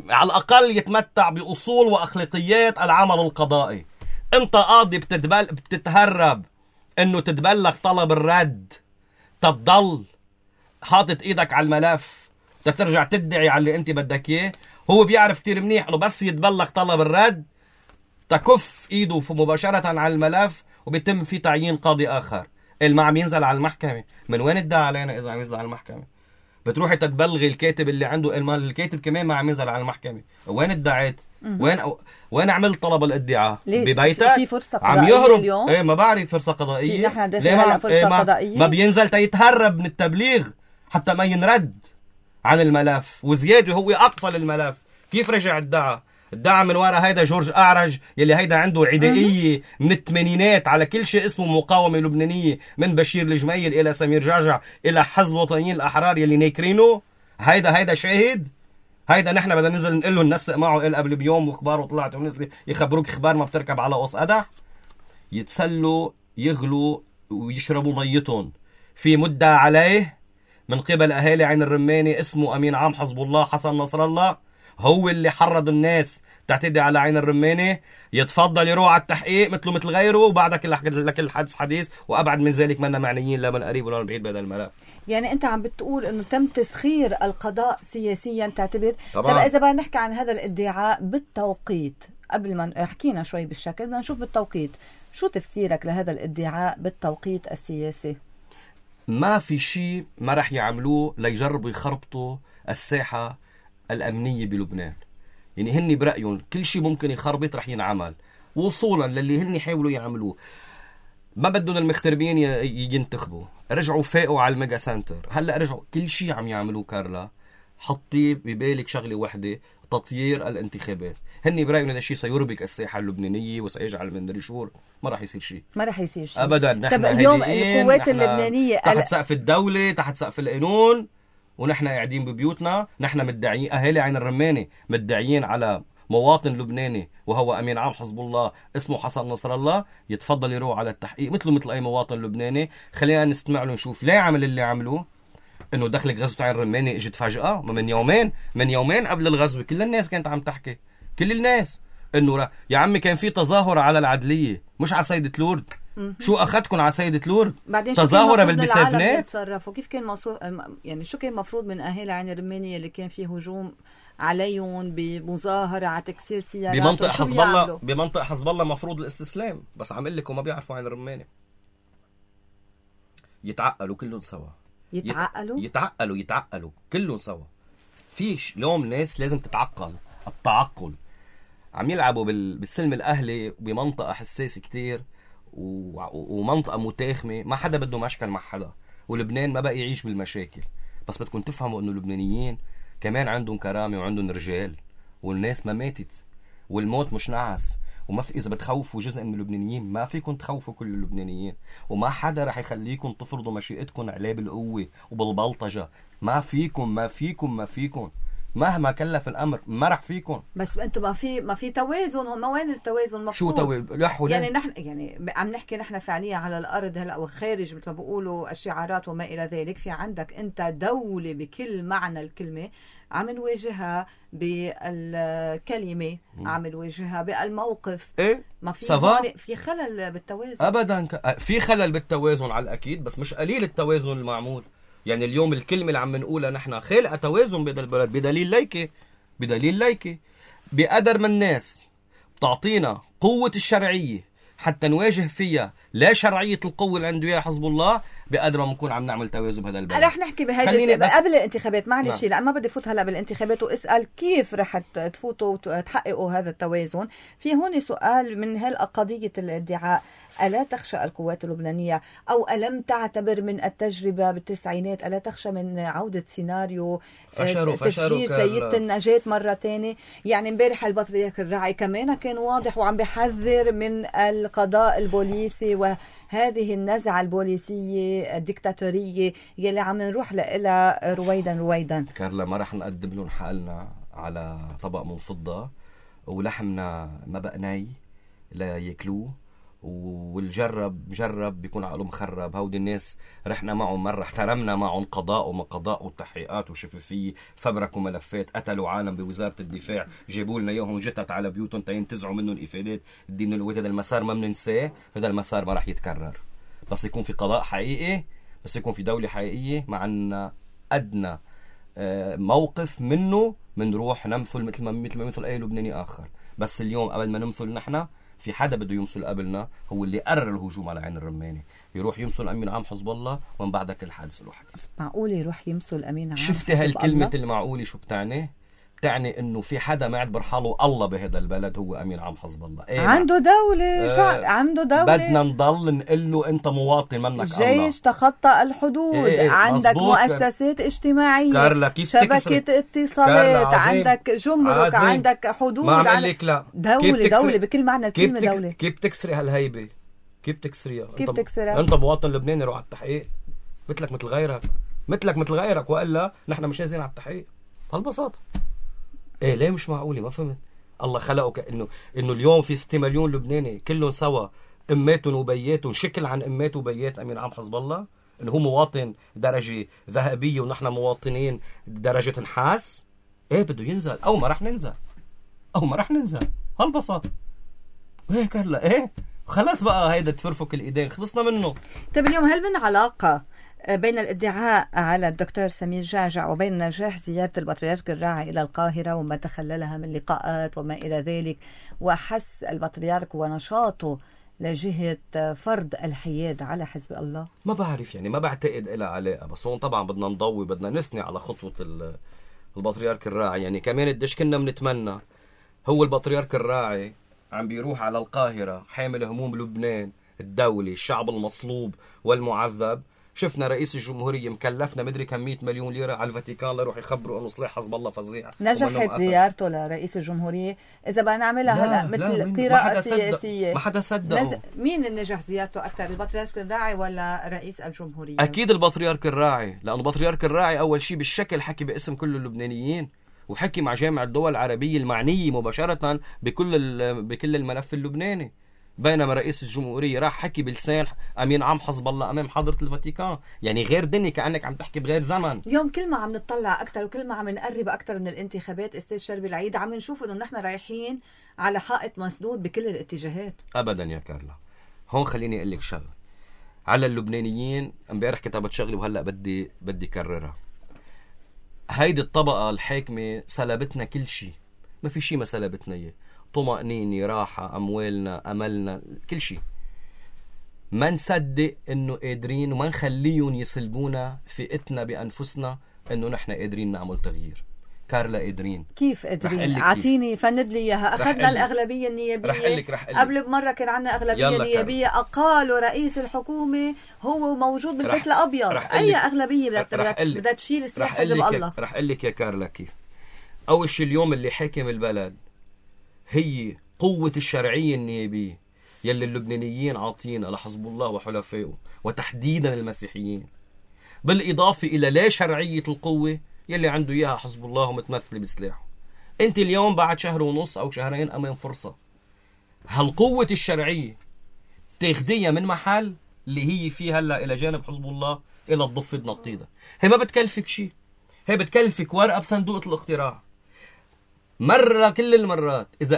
على الأقل يتمتع بأصول وأخلاقيات العمل القضائي. أنت قاضي بتتهرب إنه تتبلغ طلب الرد، تضل حاطط إيدك على الملف، ترجع تدعي على اللي أنت بدك إياه. هو بيعرف كتير منيح إنه بس يتبلغ طلب الرد تكف إيده مباشرة على الملف وبيتم في تعيين قاضي آخر. اللي عم ينزل على المحكمة من وين ادعى علينا إذا عم ينزل على المحكمة؟ بتروحي تتبلغي الكاتب اللي عنده المال، الكاتب كمان ما عم ينزل على المحكمة. وين ادعيت؟ وين عملت طلب الادعاء؟ ببيتك؟ في فرصة عم يهرب اليوم؟ ايه ما بعرف فرصة قضائية. نحن داخلين على فرصة قضائية. ما بينزل تيتهرب من التبليغ حتى ما ينرد عن الملف، وزيادة هو أقفل الملف. كيف رجع ادعى من وراء هيدا جورج أعرج يلي هيدا عنده عدائية من الثمانينات على كل شيء اسمه مقاومة لبنانية، من بشير الجميل إلى سمير جعجع إلى حزب الوطنيين الأحرار يلي ناكرينه. هيدا شاهد. هيدا نحن بدنا ننزل نقول له ننسق معه قبل بيوم واخباره طلعت ونزل يخبروك اخبار ما بتركب على قوس قدح. يتسلوا يغلوا ويشربوا ميتهم. في مدة عليه من قبل أهالي عين الرمانة اسمه أمين عام حزب الله حسن نصر الله، هو اللي حرض الناس تعتدي على عين الرمانة. يتفضل يروح على التحقيق مثل غيره، وبعدك لك الحدث حديث، وأبعد من ذلك منا معنيين لا من قريب ولا من بعيد بهذا الملف. يعني أنت عم بتقول إنه تم تسخير القضاء سياسيا تعتبر؟ طبعا. طب إذا بدنا نحكي عن هذا الادعاء بالتوقيت، قبل ما حكينا شوي بالشكل، بدنا نشوف بالتوقيت. شو تفسيرك لهذا الادعاء بالتوقيت السياسي؟ ما في شيء ما رح يعملوه ليجربوا يخربطوا الساحة الأمنية بلبنان. يعني هني برأيهم كل شيء ممكن يخربط رح ينعمل وصولا للي هني حاولوا يعملوه. ما بدهم المغتربين ينتخبوا، رجعوا فاقوا على الميجا سنتر، هلأ رجعوا كل شيء عم يعملوه. كارلا حطي ببالك شغلة واحدة، تطيير الانتخابات. هني برأيهم هذا الشيء سيربك الساحة اللبنانية وسيجعل من ريشور. ما راح يصير شيء أبدا. نحن اليوم القوات اللبنانية تحت سقف الدولة، تحت سقف القانون، ونحن قاعدين ببيوتنا. نحن مدعيين، أهالي عين الرمانة مدعيين على مواطن لبناني وهو أمين عام حزب الله اسمه حسن نصر الله. يتفضل يروح على التحقيق مثل أي مواطن لبناني. خلينا نستمع له نشوف ليه عمل اللي عملوه. إنه دخلك غزوة عين الرمانة اجت فجأة من يومين قبل الغزوة. كل الناس كانت عم تحكي، كل الناس إنه يا عمي كان في تظاهرة على العدلية مش على سيدة لورد. شو أخذكم على سيدة لورد؟ تظاهرة بالبسافنات. كيف كان يعني شو كان مفروض من أهالي عين الرمانية اللي كان فيه هجوم عليهم بمظاهرة على تكسير سيارات بمنطقة حزب الله مفروض الاستسلام، بس عم لكم ما بيعرفوا عين الرمانة. يتعقلوا كلهم سوا. يتعقلوا كلهم سوا. فيش اليوم ناس لازم تتعقل. التعقل عم يلعبوا بالسلم الأهلي بمنطقة حساسة كتير ومنطقة متاخمة. ما حدا بده مشكل مع حدا، ولبنان ما بقى يعيش بالمشاكل. بس بدكم تفهموا انه اللبنانيين كمان عندهم كرامة وعندهم رجال، والناس ما ماتت، والموت مش نعس. وما في، إذا بتخوفوا جزء من اللبنانيين ما فيكم تخوفوا كل اللبنانيين، وما حدا رح يخليكم تفرضوا مشيئتكم عليه بالقوة وبالبلطجة. ما فيكم مهما كلف الأمر ما رح فيكم. بس انتم ما في توازن. هم وين التوازن مفقود؟ شو توازن؟ يعني نحن عم نحكي نحن فعليا على الأرض هلا وخارج مثل ما بيقولوا الشعارات وما إلى ذلك. في عندك أنت دولة بكل معنى الكلمة عم نواجهها بالكلمة، عم نواجهها بالموقف. إيه؟ ما في في خلل بالتوازن أبدا. في خلل بالتوازن على الأكيد، بس مش قليل التوازن المعمول. يعني اليوم الكلمة اللي عم نقولها نحن خالقة توازن بهذا البلد بدليل ليكي بقدر من الناس بتعطينا قوة الشرعية حتى نواجه فيها لا شرعية القوة اللي عنده إياها حزب الله. بقدر ما نكون عم نعمل توازن بهذا البلد. رح نحكي بهيدا قبل الانتخابات. معلش لا ما بدي فوت هلا بالانتخابات واسال كيف رح تفوتوا وتحققوا هذا التوازن. في هون سؤال من قضيه الادعاء: الا تخشى القوات اللبنانيه او الم تعتبر من التجربه بالتسعينات الا تخشى من عوده سيناريو تشجير سيدة النجاة مره ثانيه؟ يعني امبارح البطريرك الراعي كمان كان واضح وعم بيحذر من القضاء البوليسي وهذه النزعه البوليسيه الدكتاتورية يلي عم نروح لها رويدا. كارلا ما رح نقدم لهم حالنا على طبق من فضة ولحمنا ما بقى ناي لا ياكلوه، والجرب بيكون عقله مخرب. هودي الناس رحنا معهم مرة، احترمنا معهم قضاء وما قضاء وتحقيقات وشفافية، فبركوا ملفات، قتلوا عالم بوزارة الدفاع، جابوا لنا اياهم جتت على بيوتهم تينتزعوا منهم الافادات. الدين القوات هذا المسار ما بننساه، هذا المسار ما رح يتكرر. بس يكون في قضاء حقيقي، بس يكون في دولة حقيقية معنا أدنى موقف منه منروح نمثل مثل ما يمثل أي لبناني آخر. بس اليوم قبل ما نمثل نحن في حدا بده يمثل قبلنا، هو اللي قرر الهجوم على عين الرماني، يروح يمثل أمين عام حزب الله ومن بعد كل حادث له حديث. معقول يروح يمثل أمين عام؟ شفتي هالكلمة المعقولة شو بتعني؟ بتعني انه في حدا معتبر حاله الله بهذا البلد هو امين عام حزب الله. إيه عنده دولة عنده دولة. بدنا نضل نقول له انت مواطن منك الجيش الله. الجيش تخطى الحدود. إيه عندك مؤسسات اجتماعية، كارلا شبكة اتصالات، عندك جمرك، عندك حدود. ما عم لك لا دولة بكل معنى الكلمة دولة. كيف تكسري هالهيبة؟ كيف تكسريها؟ تكسرها؟ انت مواطن لبناني روح على التحقيق مثلك مثل غيرك والا نحن مش جاهزين على التحقيق. بهالبساطة. ايه ليه مش معقولة؟ ما فهمت. الله خلقه انه اليوم في 6 مليون لبناني كلهم سوا اماتهم وبياتهم شكل عن امات وبيات امين عام حزب الله، انه هو مواطن درجة ذهبية ونحن مواطنين درجة نحاس. ايه بده ينزل او ما رح ننزل هالبساطة. ايه كارلا ايه خلاص بقى هيدا تفرفك الايدين خلصنا منه. طيب اليوم هل من علاقة بين الادعاء على الدكتور سمير جعجع وبين نجاح زيارة البطريرك الراعي إلى القاهرة وما تخللها من لقاءات وما إلى ذلك، وحس البطريرك ونشاطه لجهة فرض الحياد على حزب الله؟ ما بعرف، يعني ما بعتقد إلها علاقة، بس هون طبعا بدنا نضوي، بدنا نثني على خطوة البطريرك الراعي. يعني كمان قديش كنا بنتمنى هو البطريرك الراعي عم بيروح على القاهرة حامل هموم لبنان، الدولة، الشعب المصلوب والمعذب. شفنا رئيس الجمهورية مكلفنا مدري كم 100 مليون ليرة على الفاتيكان ليروح يخبروا انه صلاح حزب الله فظيع. نجحت زيارته لرئيس الجمهورية. اذا بدنا نعملها هلا مثل قراءة سياسية، ما حدا صدق. مين اللي نجح زيارته اكثر، البطريرك الراعي ولا رئيس الجمهورية؟ اكيد البطريرك الراعي، لانه البطريرك الراعي اول شيء بالشكل حكي باسم كل اللبنانيين، وحكي مع جامعة الدول العربية المعنية مباشرة بكل الملف اللبناني. بينما رئيس الجمهورية راح حكي بلسان أمين عام حزب الله أمام حضرة الفاتيكان. يعني غير دنيا، كأنك عم تحكي بغير زمن. اليوم كل ما عم نطلع أكتر وكل ما عم نقرب أكتر من الانتخابات أستاذ شربي العيد عم نشوف إنه نحن رايحين على حائط مسدود بكل الاتجاهات. أبدا يا كارلا. هون خليني أقول لك شغله على اللبنانيين. امبارح كتبت شغله وهلأ بدي كررها. هيدي الطبقة الحاكمة سلبتنا كل شيء، ما في شيء ما سلبتنا إياه. طمأنينة، راحة، أموالنا، أملنا، كل شيء. ما نصدق إنه قادرين وما نخليهم يسلبونا ثقتنا بأنفسنا إنه نحن قادرين نعمل تغيير. كارلا قادرين. كيف قادرين؟ اعطيني فند لي اياها. اخذنا الاغلبيه النيابيه. رح قلك. قبل بمره كان عندنا اغلبيه نيابيه، اقالوا رئيس الحكومه هو موجود بالبيت الابيض. اي اغلبيه بدها تشيل سلاح حزب الله؟ رح اقول لك يا كارلا كيف. اول شيء اليوم اللي حاكم البلد هي قوه الشرعيه النيابيه يلي اللبنانيين عاطينا لحزب الله وحلفائه، وتحديدا المسيحيين، بالاضافه الى لا شرعيه القوه يلي عنده اياها حزب الله ومتمثله بسلاحه. انت اليوم بعد شهر ونص او شهرين امام فرصه هالقوه الشرعيه تاخديها من محل اللي هي فيه هلا الى جانب حزب الله الى الضفه تنطيدها. هي ما بتكلفك شيء، هي بتكلفك ورقه بصندوق الاقتراع. مره كل المرات اذا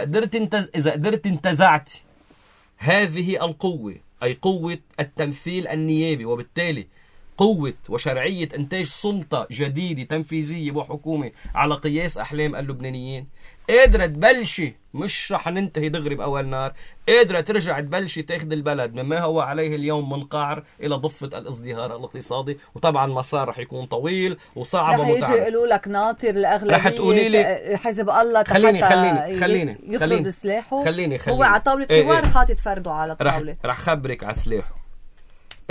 قدرت انتزعت هذه القوه، اي قوه التمثيل النيابي، وبالتالي قوة وشرعية إنتاج سلطة جديدة تنفيذية وحكومة على قياس أحلام اللبنانيين، قادرة تبلشي، مش رح ننتهي دغري بأول نار، قادرة ترجع تبلشي تاخد البلد مما هو عليه اليوم من قعر إلى ضفة الازدهار الاقتصادي. وطبعا مسار رح يكون طويل وصعب ومتعب. رح يجي يقولوا لك ناطر الأغلبية، رح تقولي لي حزب الله خليني يفرض سلاحه. خليني هو على طاولة حوار حاطط فرده على الطاولة. رح خبرك على سلاحه.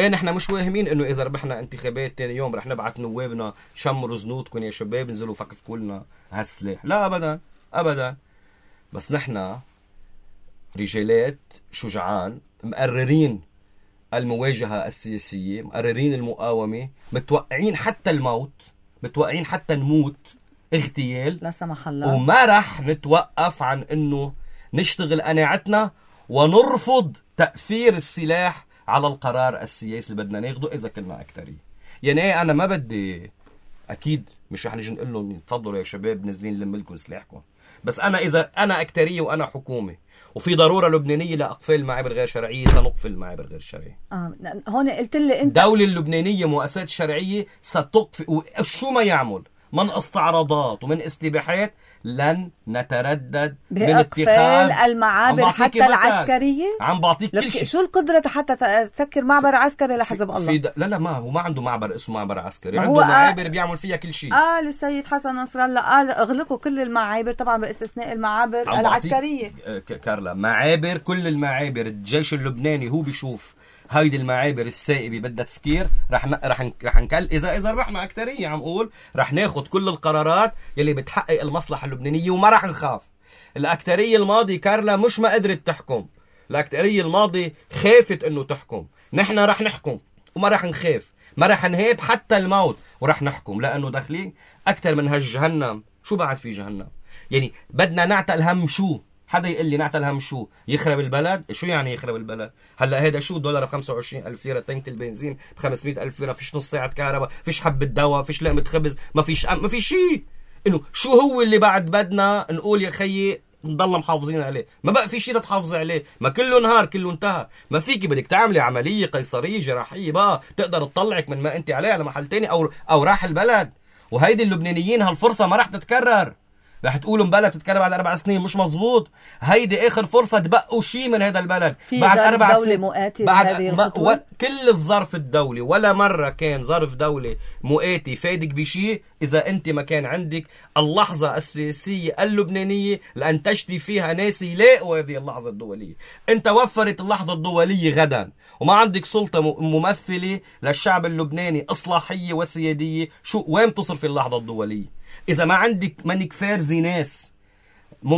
نحن مش واهمين انه اذا ربحنا انتخابات تاني يوم رح نبعث نوابنا شمروا زنودكم يا شباب انزلوا فكفكوا لنا هالسلاح. لا ابدا ابدا. بس نحن رجالات شجعان مقررين المواجهة السياسية، مقررين المقاومة، متوقعين حتى الموت، متوقعين حتى نموت اغتيال لا سمح الله، وما رح نتوقف عن انه نشتغل قناعتنا ونرفض تأثير السلاح على القرار السياسي اللي بدنا ناخده إذا كنا أكترية. يعني أنا ما بدي، أكيد مش رح نجي نقول لهم تفضلوا يا شباب نازلين نلم لكم سلاحكم، بس أنا إذا أنا أكترية وأنا حكومة وفي ضرورة لبنانية لأقفال المعابر غير شرعية سنقفل المعابر غير شرعية. هون قلت لي أنت الدولة اللبنانية مؤسسات الشرعية ستقفل، وشو ما يعمل من استعراضات ومن استباحات لن نتردد بإقفال المعابر حتى العسكرية. عم بعطيك كل شيء. شو القدرة حتى تسكر معبر عسكري لحزب الله؟ لا ما هو ما عنده معبر اسمه معبر عسكري، عنده معابر بيعمل فيها كل شيء. السيد حسن نصر الله قال اغلقوا كل المعابر، طبعا باستثناء المعابر العسكرية. كارلا معابر، كل المعابر الجيش اللبناني هو بيشوف هيدي المعابر السائبة بدها تسكير، رح نكل إذا ربحنا أكترية، عم أقول رح ناخد كل القرارات يلي بتحقق المصلحة اللبنانية وما رح نخاف. الأكترية الماضي كارلا مش ما قدرت تحكم، الأكترية الماضي خافت إنه تحكم. نحن رح نحكم وما رح نخاف، ما رح نهيب حتى الموت ورح نحكم، لأنه داخلين أكتر من هالجهنم. شو بعد في جهنم؟ يعني بدنا نعتل هم شو؟ حدا يقول لي نعتل هم شو؟ يخرب البلد؟ شو يعني يخرب البلد؟ هلا هيدا شو دولار ب25,000 ليرة، تنك البنزين ب500,000 ليرة، فيش نص ساعة كهرباء، فيش حبة دواء، فيش لقمة خبز، ما فيش شيء. انه شو هو اللي بعد بدنا نقول يا خيي نضل محافظين عليه؟ ما بقى في شيء تحافظي عليه، ما كله نهار كله انتهى. ما فيكي بدك تعملي عملية قيصرية جراحية بقى تقدر تطلعك من ما انت عليه على محل تاني او راح البلد. وهيدي اللبنانيين هالفرصة ما راح تتكرر. رح تقولوا بلد تتكرر بعد 4 سنين، مش مظبوط. هيدي اخر فرصة تبقوا شيء من هذا البلد بعد 4 سنين. بعد كل الظرف الدولي ولا مرة كان ظرف دولي مؤاتي فادك بشيء إذا أنت ما كان عندك اللحظة السياسية اللبنانية لأنتجتي فيها ناس يلاقوا هذه اللحظة الدولية. أنت وفرت اللحظة الدولية غدا وما عندك سلطة ممثلة للشعب اللبناني إصلاحية وسيادية. شو وين تصرف اللحظة الدولية إذا ما عندك منك فارزي ناس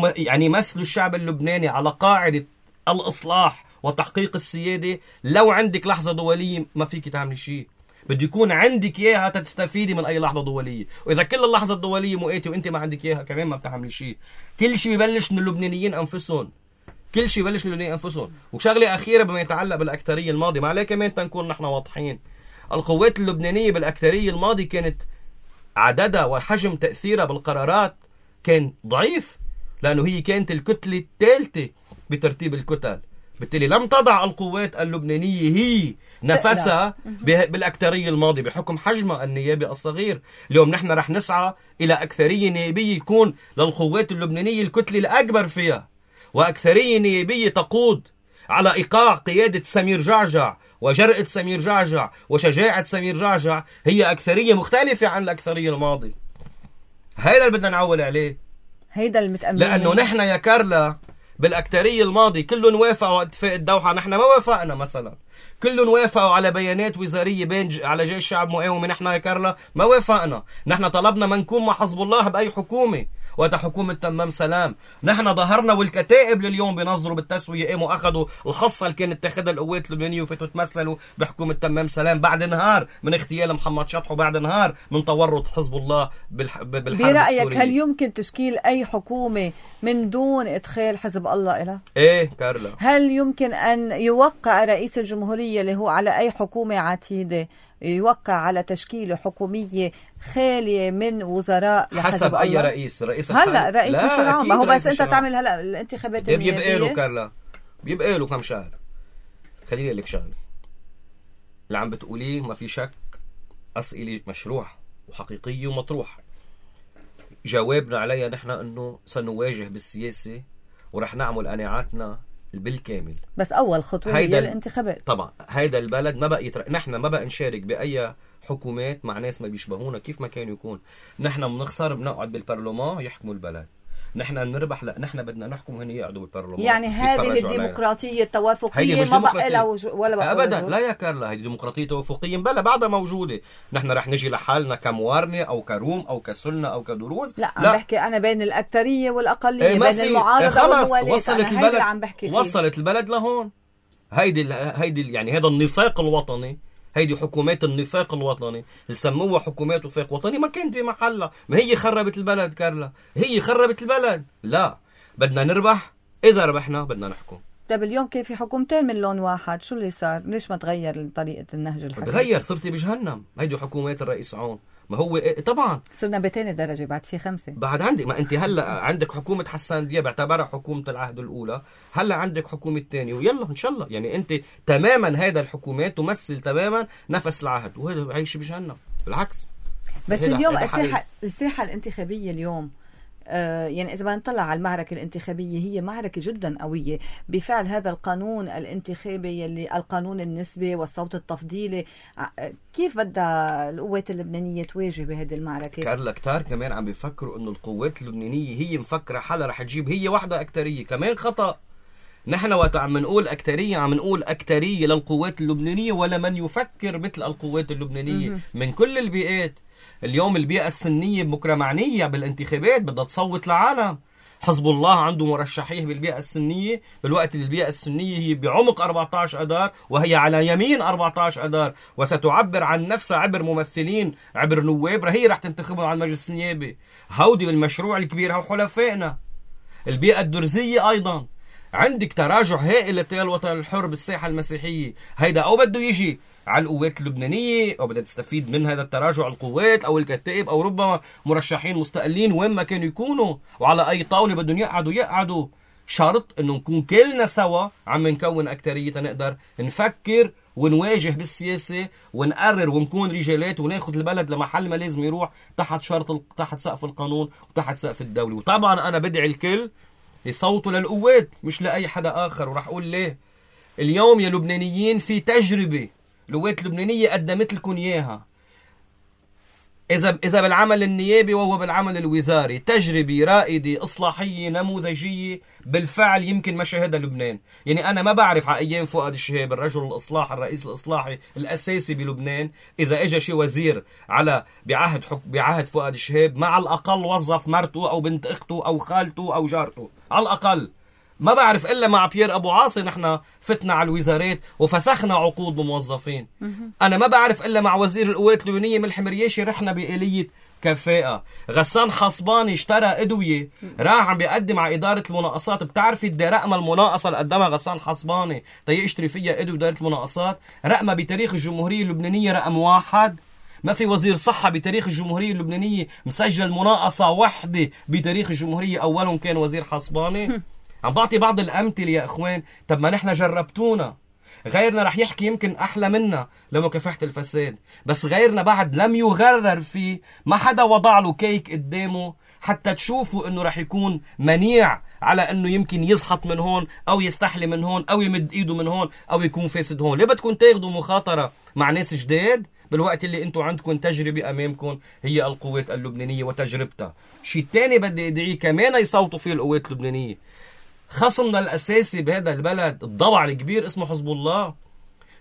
يعني مثل الشعب اللبناني على قاعدة الإصلاح وتحقيق السيادة؟ لو عندك لحظة دولية ما فيك تعملي شيء، بده يكون عندك إياها تستفيدي من أي لحظة دولية. وإذا كل اللحظة الدولية مؤاتي وإنت ما عندك إياها كمان ما بتعملي شيء. كل شيء ببلش من اللبنانيين أنفسهم، كل شيء ببلش من اللبنانيين أنفسهم. وشغلة أخيرة بما يتعلق بالأكترية الماضي، ما عليه كمان تنكون نحن واضحين. القوات اللبنانية بالأكترية الماضي كانت عددها وحجم تأثيرها بالقرارات كان ضعيف، لأنه هي كانت الكتلة الثالثة بترتيب الكتل. بالتالي لم تضع القوات اللبنانية هي نفسها بالأكترية الماضي بحكم حجمها النيابي الصغير. اليوم نحن رح نسعى إلى أكثرية نيابية يكون للقوات اللبنانية الكتلة الأكبر فيها، وأكثرية نيابية تقود على إيقاع قيادة سمير جعجع وجرأة سمير جعجع وشجاعة سمير جعجع. هي أكثرية مختلفة عن الأكثرية الماضي. هيدا اللي بدنا نعول عليه، هيدا المتأملين. لأنه نحن يا كارلا بالأكترية الماضي كلهم وافقوا على اتفاق الدوحة، نحن ما وافقنا. مثلا كلهم وافقوا على بيانات وزارية بين على جيش شعب مقاومة، نحن يا كارلا ما وافقنا. نحن طلبنا ما نكون مع حزب الله بأي حكومة، وقت حكومة تمام سلام. نحن ظهرنا والكتائب لليوم بينظروا بالتسوية، قاموا أخذوا الخصة اللي كانت تاخذها القوات اللبنانية وفتوا تمثلوا بحكومة تمام سلام بعد نهار من اغتيال محمد شطح وبعد نهار من تورط حزب الله بالحرب برأيك السورية. هل يمكن تشكيل أي حكومة من دون إدخال حزب الله إلها؟ إيه كارلا. هل يمكن أن يوقع رئيس الجمهورية اللي هو على أي حكومة عتيدة يوقع على تشكيل حكومية خالية من وزراء حسب أي رئيس هلا رئيس مش العام؟ ما هو بس أنت تعمل هلا الانتخابات النيابية بيبقى له كارلا، بيبقى له كم شهر. خليني لك شغله اللي عم بتقوليه ما في شك أسئلة مشروعة وحقيقية ومطروحة، جوابنا عليها نحن أنه سنواجه بالسياسة ورح نعمل قناعاتنا بالكامل. بس أول خطوة هي الانتخابات. طبعا هيدا البلد ما بقى نحن ما بقى نشارك بأي حكومات مع ناس ما بيشبهونا كيف ما كان يكون. نحن بنخسر بنقعد بالبرلمان يحكموا البلد، نحن بنربح لا نحن بدنا نحكم هن يقعدوا بالبرلمان. يعني هذه الديمقراطية التوافقية ما بقى لها ولا بقى أبدا لا يا كارلا، هذه ديمقراطية توافقية بلا بعدها موجودة. نحن رح نجي لحالنا كموارنة أو كروم أو كسنة أو كدروز. لا عم بحكي أنا بين الأكثرية والأقلية، بين المعارضة والموالية. وصلت البلد لهون. هيدي يعني هذا النفاق الوطني، هيدي حكومات النفاق الوطني اللي سموها حكومات وفاق وطني ما كانت بمحلها. ما هي خربت البلد كارلا، هي خربت البلد. لا بدنا نربح، إذا ربحنا بدنا نحكم. طيب اليوم كيف في حكومتين من لون واحد، شو اللي صار؟ ليش ما تغير طريقة النهج الحكومي؟ تغير، صرتي بجهنم. هيدي حكومات الرئيس عون. ما هو طبعا صرنا بتاني درجة، بعد في 5 بعد عندك. ما انت هلا عندك حكومة حسان دياب بعتبرها حكومة العهد الأولى، هلا عندك حكومة تانية ويلا إن شاء الله. يعني انت تماما هذا الحكومات تمثل تماما نفس العهد، وهذا عايش بجهنم بالعكس. بس اليوم الساحة الانتخابية اليوم يعني إذا ما نطلع على المعركة الانتخابية هي معركة جدا قوية بفعل هذا القانون الانتخابي اللي القانون النسبي والصوت التفضيلي. كيف بدها القوات اللبنانية تواجه بهذه المعركة؟ كارلا كتار كمان عم بيفكروا إنه القوات اللبنانية هي مفكرة حالها رح تجيب هي واحدة أكترية، كمان خطأ. نحن وقت عم نقول أكترية عم نقول أكترية للقوات اللبنانية ولا من يفكر مثل القوات اللبنانية من كل البيئات. اليوم البيئة السنية بكرة معنية بالانتخابات، بدها تصوت لعالم. حزب الله عنده مرشحيه بالبيئة السنية، بالوقت اللي البيئة السنية هي بعمق 14 أدار وهي على يمين 14 أدار، وستعبر عن نفسها عبر ممثلين عبر نواب هي رح تنتخبهم على المجلس النيابي. هودي المشروع الكبير هو حلفائنا. البيئة الدرزية أيضا عندك تراجع هائل لتيار الوطن الحر بالساحة المسيحية. هيدا أو بده يجي على القوات اللبنانية أو بدها تستفيد من هذا التراجع القوات أو الكتائب أو ربما مرشحين مستقلين وين ما كانوا يكونوا، وعلى أي طاولة بدهم يقعدوا. شرط إنه نكون كلنا سوا عم نكون أكترية نقدر نفكر ونواجه بالسياسة ونقرر ونكون رجالات وناخد البلد لمحل ما لازم يروح تحت تحت سقف القانون وتحت سقف الدولة. وطبعا أنا بدعي الكل يصوتوا للقوات مش لأي حدا آخر، ورح أقول ليه. اليوم يا لبنانيين في تجربة القوات اللبنانية قدمت لكم إياها، إذا بالعمل النيابي وهو بالعمل الوزاري، تجربة رائدة إصلاحية نموذجية بالفعل يمكن ما شاهدها لبنان. يعني أنا ما بعرف على أيام فؤاد الشهاب الرجل الإصلاح الرئيس الإصلاحي الأساسي بلبنان، إذا إجا شي وزير بعهد فؤاد الشهاب مع الأقل وظف مرته أو بنت أخته أو خالته أو جارته على الأقل. ما بعرف إلا مع بيير أبو عاصي نحن فتنا على الوزارات وفسخنا عقود بموظفين. أنا ما بعرف إلا مع وزير القوات اللبنانية ملحم مرياشي رحنا بآلية كفاءة. غسان حصباني اشترى أدوية راح عم بيقدم على إدارة المناقصات. بتعرفي قد رقم المناقصة اللي قدمها غسان حصباني يشتري فيها أدوية إدارة المناقصات؟ رقمها بتاريخ الجمهورية اللبنانية رقم 1. ما في وزير صحة بتاريخ الجمهورية اللبنانية مسجل مناقصة واحدة بتاريخ الجمهورية، أولهم كان وزير حصباني. عم بعطي بعض الأمثلة يا إخوان. طب ما نحن جربتونا، غيرنا رح يحكي يمكن أحلى منا لمكافحة الفساد، بس غيرنا بعد لم يغرر فيه. ما حدا وضع له كيك قدامه حتى تشوفوا إنه رح يكون منيع على إنه يمكن يزحط من هون أو يستحلي من هون أو يمد إيده من هون أو يكون فاسد هون. ليه بدكم تاخدوا مخاطرة مع ناس جداد بالوقت اللي انتم عندكم تجربة امامكم هي القوات اللبنانية وتجربتها. شيء تاني بدي ادعيه كمان يصوتوا فيه القوات اللبنانية. خصمنا الاساسي بهذا البلد الضبع الكبير اسمه حزب الله.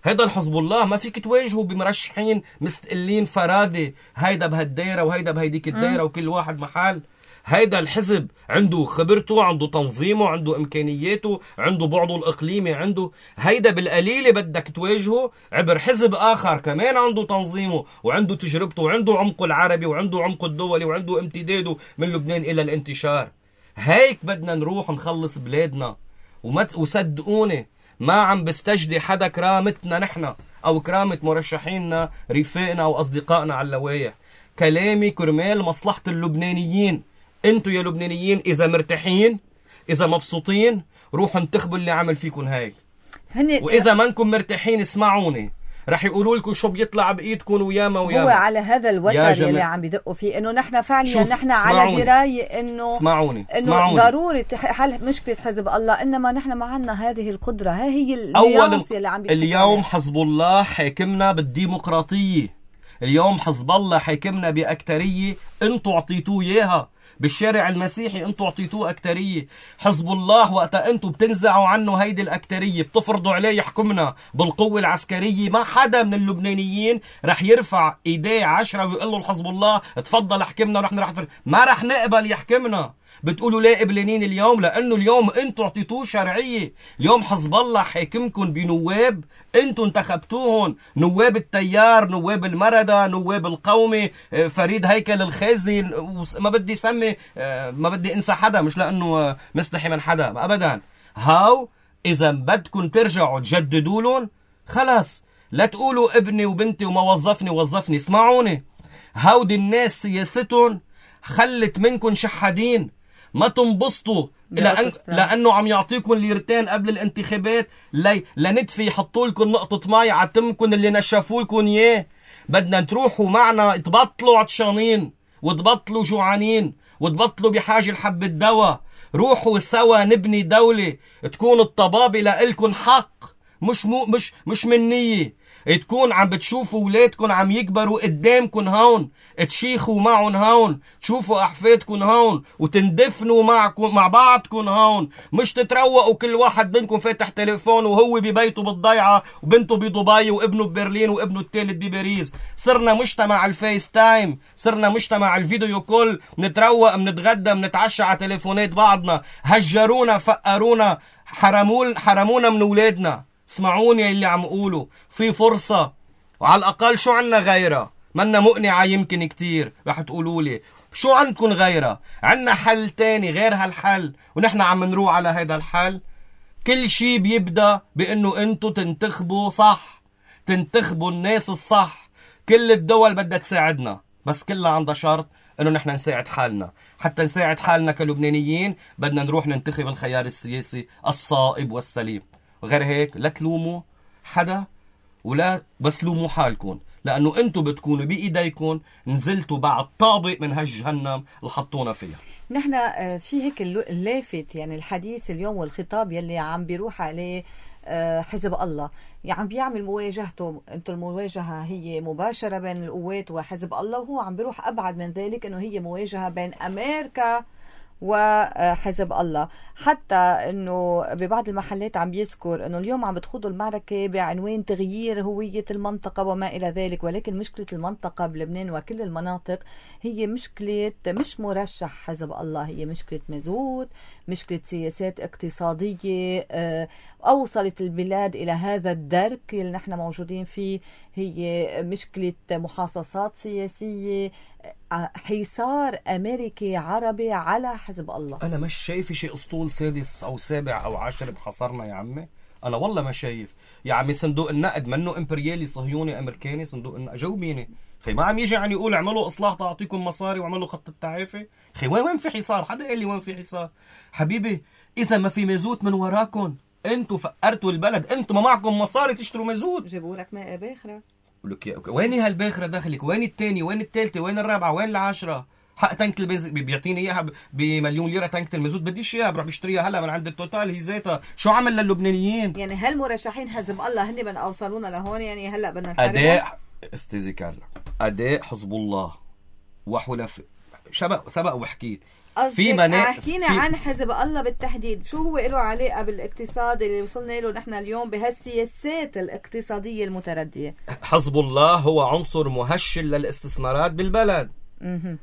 هيدا الحزب الله ما فيك تواجهه بمرشحين مستقلين فرادة، هيدا بهالدايرة وهيدا بهيديك الدايرة وكل واحد محل. هيدا الحزب عنده خبرته، عنده تنظيمه، عنده إمكانياته، عنده بعضه الإقليمي، عنده هيدا بالقليلة بدك تواجهه عبر حزب آخر كمان عنده تنظيمه وعنده تجربته وعنده عمقه العربي وعنده عمقه الدولي وعنده امتداده من لبنان إلى الانتشار. هيك بدنا نروح نخلص بلادنا. وصدقوني ما عم بستجدي حدا كرامتنا نحن أو كرامة مرشحيننا رفاقنا أو أصدقائنا على اللوايح. كلامي كرمال مصلحة اللبنانيين. انتوا يا لبنانيين إذا مرتاحين، إذا مبسوطين، روحوا انتخبوا اللي عمل فيكم هيك. وإذا ما انكم مرتاحين اسمعوني، رح يقولوا لكم شو بيطلع بإيدكم وياما وياما. هو على هذا الوتر اللي عم بدقوا فيه إنه نحن فعليا نحن على دراية إنه إنه ضروري حل مشكلة حزب الله، إنما نحن ما عنا هذه القدرة. هي اليانسة اللي عم بيحكي. اليوم حزب الله حاكمنا بالديمقراطية. اليوم حزب الله حاكمنا بأكترية انتوا اعطيتوه إياها. بالشارع المسيحي انتوا اعطيتوه أكترية. حزب الله وقتا انتوا بتنزعوا عنه هيدي الأكترية، بتفرضوا عليه يحكمنا بالقوة العسكرية، ما حدا من اللبنانيين رح يرفع ايديه 10 ويقول له حزب الله تفضل احكمنا ونحن ما رح نقبل يحكمنا. بتقولوا ليه قبلانين اليوم؟ لأنه اليوم انتوا اعطيتوه شرعية. اليوم حزب الله حاكمكم بنواب انتوا انتخبتوهم، نواب التيار، نواب المردة، نواب القومي، فريد هيكل الخازي، ما بدي سمي، ما بدي انسى حدا، مش لأنه مستحي من حدا أبدا. هاو إذا بدكم ترجعوا تجددوا لهم خلاص، لا تقولوا ابني وبنتي وما وظفني. اسمعوني، هاودي الناس سياستهم خلت منكم شحادين. ما تنبسطوا لأنه عم يعطيكم ليرتين قبل الانتخابات لندفي يحطوا لكم نقطة مي عتمكم اللي نشفوا لكم إياه. بدنا تروحوا معنا، تبطلوا عطشانين وتبطلوا جوعانين وتبطلوا بحاجة لحبة دواء. روحوا سوا نبني دولة تكون الطبابة لإلكم حق، مش منية. تكون عم بتشوفوا اولادكم عم يكبروا قدامكم هون، تشيخوا معهم هون، تشوفوا احفادكم هون، وتندفنوا مع بعضكم هون، مش تتروقوا كل واحد منكم فاتح تليفون وهو ببيته بالضيعة وبنته بدبي وابنه ببرلين وابنه الثالث بباريس. صرنا مجتمع الفيس تايم، صرنا مجتمع الفيديو كول، نتروق، منتغدى، منتعشى على تليفونات بعضنا. هجرونا، فقرونا، حرمونا من اولادنا. اسمعوني اللي عم قوله، في فرصة، وعلى الأقل شو عنا غيرها؟ منا مقنعة يمكن كتير. رح تقولوا لي شو عندكم غيرها؟ عنا حل تاني غير هالحل، ونحن عم نروح على هذا الحل. كل شي بيبدأ بأنه انتو تنتخبوا صح، تنتخبوا الناس الصح. كل الدول بدها تساعدنا، بس كلها عندها شرط انه نحن نساعد حالنا. حتى نساعد حالنا كلبنانيين بدنا نروح ننتخب الخيار السياسي الصائب والسليم. غير هيك لا تلوموا حدا ولا بس لوموا حالكم، لأنه أنتم بتكونوا بإيديكم نزلتوا بعد طابق من هالجهنم اللي حطونا فيها. نحن في هيك اللافت، يعني الحديث اليوم والخطاب يلي عم بيروح عليه حزب الله، يعني عم بيعمل مواجهته. انتم المواجهة هي مباشرة بين القوات وحزب الله، وهو عم بيروح أبعد من ذلك إنه هي مواجهة بين أمريكا وحزب الله. حتى انه ببعض المحلات عم بيذكر انه اليوم عم بتخوضوا المعركة بعنوان تغيير هوية المنطقة وما الى ذلك، ولكن مشكلة المنطقة بلبنان وكل المناطق هي مشكلة مش مرشح حزب الله، هي مشكلة مازوت، مشكلة سياسات اقتصادية اوصلت البلاد الى هذا الدرك اللي نحن موجودين فيه. هي مشكلة محاصصات سياسية، حصار أمريكي عربي على حزب الله. أنا مش شايف شيء أسطول سادس أو سابع أو 10 بحصرنا يا عمي. أنا والله ما شايف يا عمي. صندوق النقد منه إمبريالي صهيوني أمريكاني؟ صندوق النقد جاوبيني خي. ما عم يجي يعني يقول اعملوا إصلاح تعطيكم مصاري وعملوا خط التعافي. خي وين في حصار؟ حدا قال لي وين في حصار؟ حبيبي إذا ما في مازوت من وراكم، أنتوا فقرتوا البلد، أنتوا ما معكم مصاري تشتروا مازوت. جابوا لك ماء باخرة. وين هالباخرة داخلك؟ وين الثاني؟ وين الثالثة؟ وين الرابعة؟ وين العاشرة؟ حق تانك البنزين بيعطيني اياها بمليون ليره. تانك المازوت بديش اياها، بروح بشتريها هلا من عند التوتال هي ذاتها. شو عمل للبنانيين؟ يعني هل مرشحين حزب الله هن من اوصلونا لهون؟ يعني هلا بدنا نحارب استاذي كارلا، أداء حزب الله وحلف سبق وحكيت في حكينا عن حزب الله بالتحديد، شو هو له علاقة بالاقتصاد اللي وصلنا له نحن اليوم بهالسياسات الاقتصادية المتردية؟ حزب الله هو عنصر مهشل للاستثمارات بالبلد.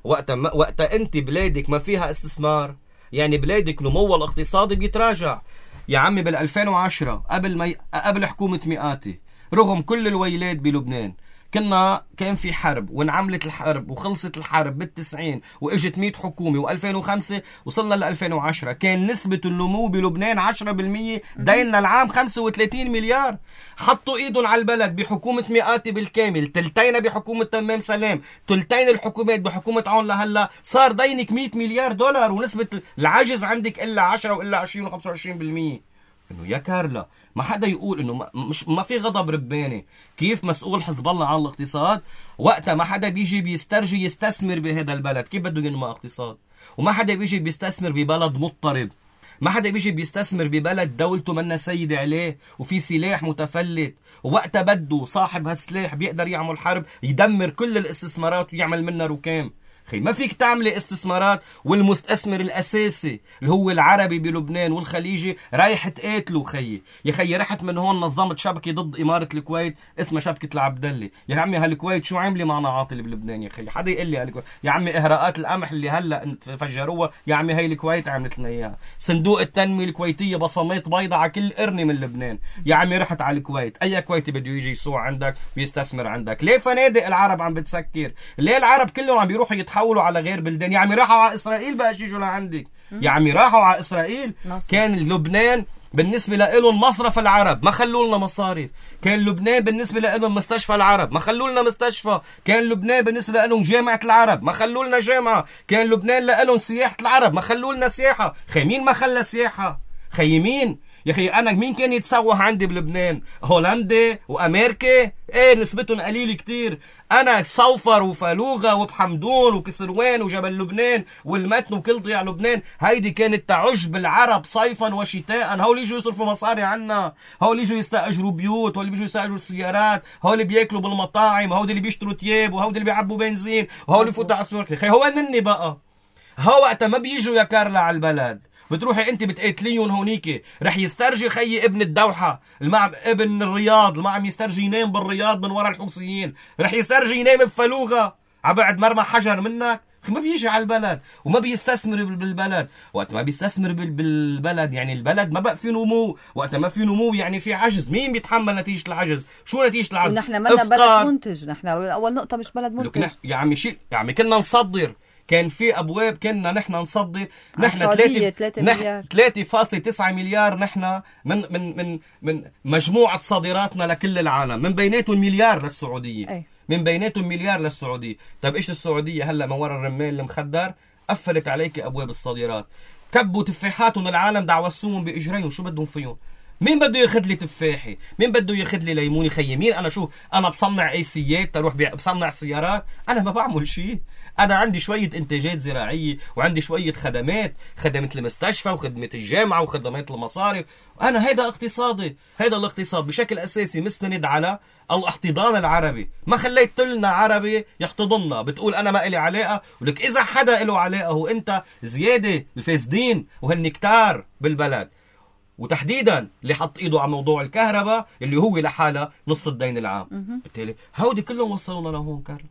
وقتا انت بلادك ما فيها استثمار، يعني بلادك نموها الاقتصادي بيتراجع. يا عمي بال2010 قبل حكومة مئاتي، رغم كل الويلات بلبنان، كان في حرب وانعملت الحرب وخلصت الحرب بال90 واجت 100 حكومة و2005 وصلنا ل2010 كان نسبة النمو بلبنان 10%، ديننا العام 35 مليار. حطوا ايدهم على البلد بحكومة مئاتي بالكامل، تلتين بحكومة تمام سلام، تلتين الحكومات بحكومة عون لهلا، صار دينك 100 مليار دولار ونسبة العجز عندك إلا 10 وإلا 20 و25%. انه يا كارلا ما حدا يقول انه ما في غضب رباني. كيف مسؤول حزب الله عن الاقتصاد وقتها ما حدا بيجي بيسترجي يستثمر بهذا البلد؟ كيف بده ينمى اقتصاد؟ وما حدا بيجي بيستثمر ببلد مضطرب، ما حدا بيجي بيستثمر ببلد دولته منا سيدة عليه وفي سلاح متفلت، ووقتها بده صاحب هالسلاح بيقدر يعمل حرب يدمر كل الاستثمارات ويعمل منها ركام. خي ما فيك تعملي استثمارات والمستثمر الأساسي اللي هو العربي بلبنان والخليجي رايح تقاتله. خيي يا خيي رحت من هون نظمت شبكة ضد إمارة الكويت اسمها شبكة العبدلي. يا عمي هالكويت شو عاملة مع نعاطل بلبنان؟ يا خيي حدا يقول لي هالكويت. يا عمي إهراءات القمح اللي هلا فجروها يا عمي هي الكويت عملت لنا إياها. صندوق التنمية الكويتية بصمات بيضة على كل قرنة من لبنان. يا عمي رحت على الكويت، أي كويتي بده يجي يسوع عندك بيستثمر عندك؟ ليه فنادق العرب عم بتسكر؟ ليه العرب كلهم عم بيروحوا يتحولوا على غير بلدان؟ يا عمي راحوا على إسرائيل بقى يجوا لعندك. يا عمي راحوا على إسرائيل. كان لبنان بالنسبة لهم مصرف العرب ما خلوا لنا مصارف. كان لبنان بالنسبة لهم مستشفى العرب ما خلوا لنا مستشفى. كان لبنان بالنسبة لهم جامعة العرب ما خلوا لنا جامعة. كان لبنان لهم سياحة العرب ما خلوا لنا سياحة. خي مين ما خلى سياحة؟ خي مين؟ يا خي أنا مين كان يتسوح عندي بلبنان؟ هولندا وأمريكا؟ إيه نسبتهم قليل كتير. أنا صوفر وفالوغة وبحمدون وكسروان وجبل لبنان والمتن وكل ضياع لبنان هيدي كانت تعج بالعرب صيفا وشتاء. هول يجوا يصرفوا مصاري عنا، هول يجوا يستأجروا بيوت، هول يجوا يستأجروا السيارات، هول بياكلوا بالمطاعم، هول اللي بيشتروا تياب، وهول اللي بيعبوا بنزين، وهول يفوتوا على السوق. خي هو مني بقى. هو وقتها ما بيجوا يا كارلا على البلد، بتروحي انت بتقاتليهم هونيك. رح يسترجي خيي ابن الدوحة ابن الرياض ما عم يسترجي ينام بالرياض من وراء الحوثيين، رح يسترجي ينام بفلوغة عبعد مرمى حجر منك. ما بيجي على البلد وما بيستثمر بالبلد. وقت ما بيستثمر بالبلد يعني البلد ما بقى في نمو. وقت ما في نمو يعني في عجز. مين بيتحمل نتيجة العجز؟ شو نتيجة العجز؟ ونحن منا بلد منتج. نحن أول نقطة مش بلد منتج. يا عمي كنا نصدر. كان في أبواب كنا نحن نصدر. نحن 3.9 مليار نحن من مجموعة صادراتنا لكل العالم، من بيناتهم مليار للسعودية. من بيناتهم مليار للسعودية. طيب إيش السعودية هلأ من وراء الرمان المخدر قفلت عليك أبواب الصادرات، كبوا تفاحاتهم العالم دعوسوهم بإجريهم. شو بدهم فيهم؟ مين بده ياخذ لي تفاحي؟ مين بده ياخذ لي ليموني؟ خيي مين؟ أنا بصنع ايسيات تروح بصنع سيارات؟ أنا ما بعمل شيء. أنا عندي شوية إنتاجات زراعية وعندي شوية خدمة المستشفى وخدمة الجامعة وخدمات المصارف. أنا هيدا اقتصادي. هيدا الاقتصاد بشكل أساسي مستند على الاحتضان العربي. ما خليت لنا عربي يحتضننا. بتقول أنا ما إلي علاقة، ولك إذا حدا إله علاقة هو أنت زيادة الفاسدين وهالنكتار بالبلد، وتحديدا اللي حط ايده على موضوع الكهرباء اللي هو لحالها نص الدين العام. بالتالي هودي كلهم وصلونا لهون. كارلا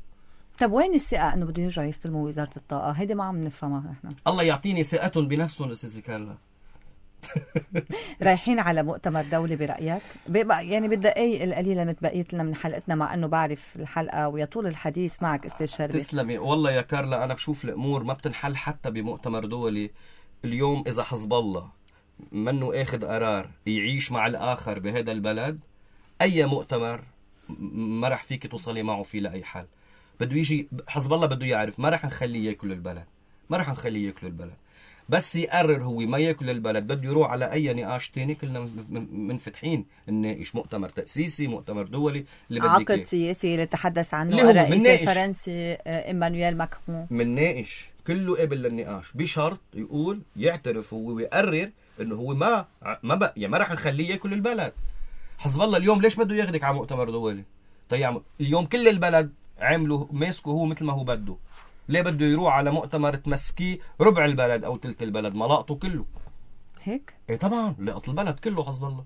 طب وين الثقة انه بده يرجعوا يستلموا وزارة الطاقة؟ هيدي ما عم نفهمها احنا. الله يعطيني ثقتهم بنفسهم استاذ كارلا. رايحين على مؤتمر دولي برأيك؟ يعني بالدقايق القليلة متبقيت لنا من حلقتنا، مع انه بعرف الحلقة ويطول الحديث معك استاذ شربي. تسلمي والله يا كارلا. انا بشوف الامور ما بتنحل حتى بمؤتمر دولي. اليوم اذا حزب الله منه اخذ قرار يعيش مع الاخر بهذا البلد، اي مؤتمر ما رح فيك توصلي معه فيه لاي حل. بده يجي حزب الله بده يعرف ما رح نخليه ياكل البلد، ما رح نخليه ياكل البلد. بس يقرر هو ما ياكل البلد بده يروح على اي نقاش تاني. كلنا منفتحين نناقش مؤتمر تأسيسي، مؤتمر دولي، اللي بدك عقد سياسي اللي تحدث عنه الرئيس الفرنسي إيمانويل ماكرون. منناقش كله قابل للنقاش بشرط يقول يعترف هو ويقرر انه هو ما بقى يعني ما رح نخليه ياكل البلد. حزب الله اليوم ليش بده ياخدك على مؤتمر دولي؟ تيعمل اليوم كل البلد عملوا ماسكه هو مثل ما هو بده. ليه بده يروح على مؤتمر تمسكيه ربع البلد او تلت البلد؟ ما لقطه كله هيك؟ ايه طبعا لقط البلد كله حسب الله.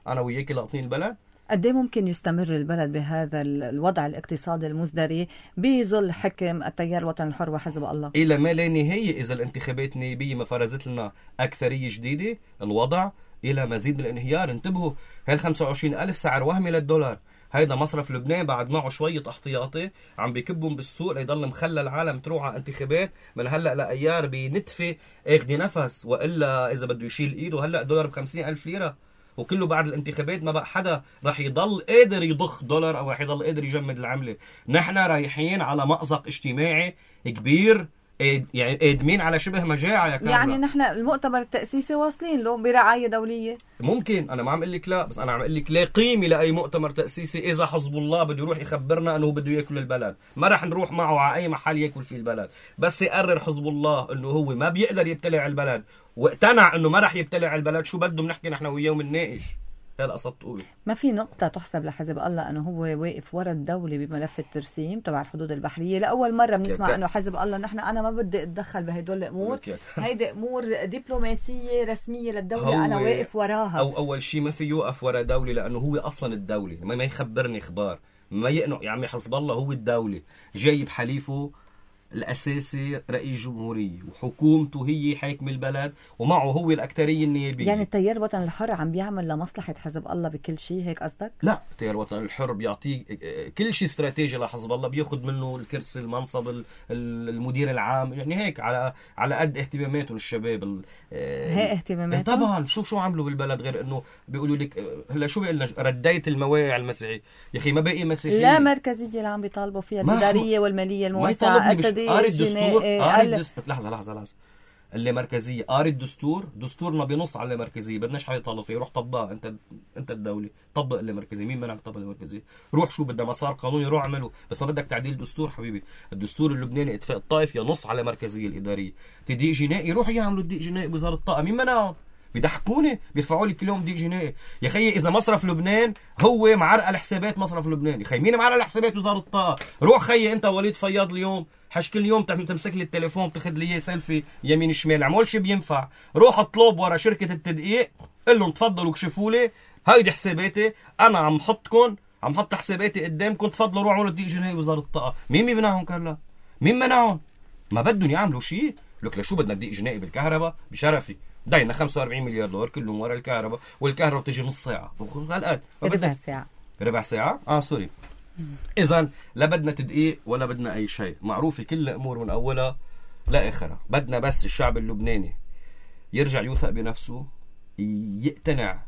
انا وياك لاقطين البلد. قد ايه ممكن يستمر البلد بهذا الوضع الاقتصادي المزدري بظل حكم التيار الوطني الحر وحزب الله؟ الى ما لا نهايه. اذا الانتخابات نيابيه ما فرزت لنا اكثريه جديده، الوضع الى مزيد من الانهيار. انتبهوا، هال 25,000 سعر وهمي للدولار. هيدا مصرف لبنان بعد معه شويه احتياطي عم بيكبهم بالسوق ليضل مخلى العالم تروح على انتخابات من هلا لايار بنتفه اخذ نفس، والا اذا بده يشيل ايده هلا دولار ب 50,000 ليره، وكله بعد الانتخابات ما بقى حدا رح يضل قادر يضخ دولار او رح يضل قادر يجمد العمله. نحن رايحين على مأزق اجتماعي كبير، يعني قادمين على شبه مجاعه يا كاملة. يعني نحن المؤتمر التأسيسي واصلين له برعاية دولية. ممكن، انا ما عم اقول لك لا، بس انا عم اقول لك لا قيمه لاي مؤتمر تأسيسي اذا حزب الله بده يروح يخبرنا انه بده ياكل البلد. ما رح نروح معه على اي محل ياكل فيه البلد، بس يقرر حزب الله انه هو ما بيقدر يبتلع البلد واقتنع انه ما رح يبتلع البلد، شو بده بنحكي نحن وياه ومنناقش. هذا قصد تقول. ما في نقطة تحسب لحزب الله أنه هو واقف ورا الدولة بملف الترسيم تبع الحدود البحرية. لأول مرة بنسمع أنه حزب الله أنا ما بدي أتدخل بهدول الأمور، هيدي أمور دبلوماسية رسمية للدولة أنا واقف وراها. أو أول شيء ما في يوقف ورا دولة لأنه هو أصلا الدولة، ما يخبرني إخبار، ما يقنع. يا عمي حزب الله هو الدولة، جايب حليفه الأساسي رئيس جمهورية وحكومته هي حاكم البلد ومعه هو الأكترية النيابية. يعني التيار الوطني الحر عم بيعمل لمصلحة حزب الله بكل شيء، هيك قصدك؟ لا، التيار الوطني الحر بيعطيه كل شيء استراتيجي لحزب الله، بياخد منه الكرسي، المنصب، المدير العام، يعني هيك على قد اهتماماتهم الشباب. هي اهتماماتهم طبعا. شو عملوا بالبلد غير انه بيقولوا لك هلا شو بيقول لنا رديت المواقع المسيحي. يا اخي ما باقي مسيحيين. لا مركزية اللي عم بيطالبوا فيها الإدارية والمالية الموسعة. قاري الدستور. لحظة اللي مركزية، قاري الدستور، دستورنا بنص على مركزية، بدناش حدا يطالب فيه. روح طبقها انت الدولة، طبق اللي مركزية. مين منعك تطبق اللي مركزية؟ روح شو بدها مسار قانوني روح اعمله، بس ما بدك تعديل دستور حبيبي. الدستور اللبناني اتفاق الطائف ينص على مركزية الإدارية. تضييق جنائي روح يعملوا تضييق جنائي بوزارة الطاقة، مين منعهم؟ بيضحكوني، بيرفعوا لي كل يوم ضيق جنائي. يا خيي اذا مصرف لبنان هو معرقل حسابات مصرف لبنان، يا خيي مين معرقل حسابات وزارة الطاقة؟ روح خيي انت وليد فياض اليوم كل يوم تمسك لي التليفون تاخذ لي اياه سيلفي يمين شمال، عمول شي بينفع. روح اطلب ورا شركة التدقيق قل لهم تفضلوا اكشفوا لي هيدي حساباتي، انا عم حط حساباتي قدامكم، تفضلوا روحوا اعملوا ضيق جنائي وزارة الطاقة. مين بيمنعهم كلا؟ مين منعهم؟ ما بدهم يعملوا شيء. لك لشو بدنا ضيق جنائي بالكهرباء؟ بشرفي داينا 45 مليار دولار كلهم ورا الكهرباء، والكهرباء بتجي نص ساعة ربع ساعة سوري. إذن لا بدنا تدقيق ولا بدنا أي شيء، معروفة كل الأمور من أولها لآخرها. بدنا بس الشعب اللبناني يرجع يوثق بنفسه، يقتنع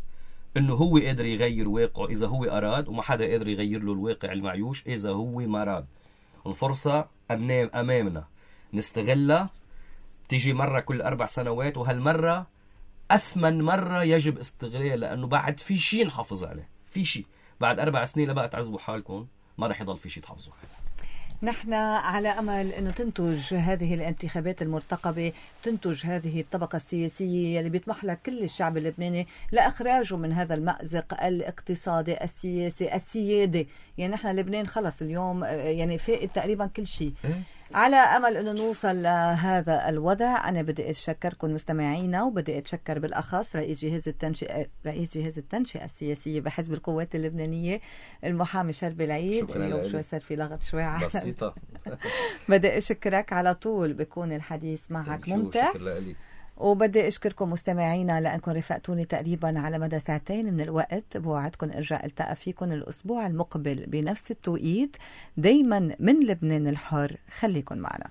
إنه هو قادر يغير واقعه إذا هو أراد، وما حدا قادر يغير له الواقع المعيوش إذا هو ما أراد. الفرصة أمامنا نستغلها، تيجي مرة كل 4 سنوات، وهالمرة أثمن مرة يجب استغلالها، لأنه بعد في شيء نحافظ عليه. في شيء بعد 4 سنين لبقى تعذبوا حالكم، ما رح يضل في شيء تحافظوا عليه. نحن على أمل أنه تنتج هذه الانتخابات المرتقبة، تنتج هذه الطبقة السياسية اللي بيطمح لها كل الشعب اللبناني لإخراجه من هذا المأزق الاقتصادي السياسي السيادي. يعني نحن لبنان خلص اليوم يعني فائد تقريبا كل شيء. على أمل أنه نوصل لهذا الوضع. أنا بدي أشكركم مستمعينا، وبدي أتشكر بالأخص رئيس جهاز التنشئة السياسية بحزب القوات اللبنانية المحامي شربي العيد. اليوم شوي صار في لغط شوي بسيطة. بدي أشكرك، على طول بيكون الحديث معك ممتع. وبدي أشكركم مستمعينا لأنكم رفقتوني تقريبا على مدى 2 ساعة من الوقت. بوعدكم أرجع ألتقى فيكم الأسبوع المقبل بنفس التوقيت، دايما من لبنان الحر. خليكن معنا.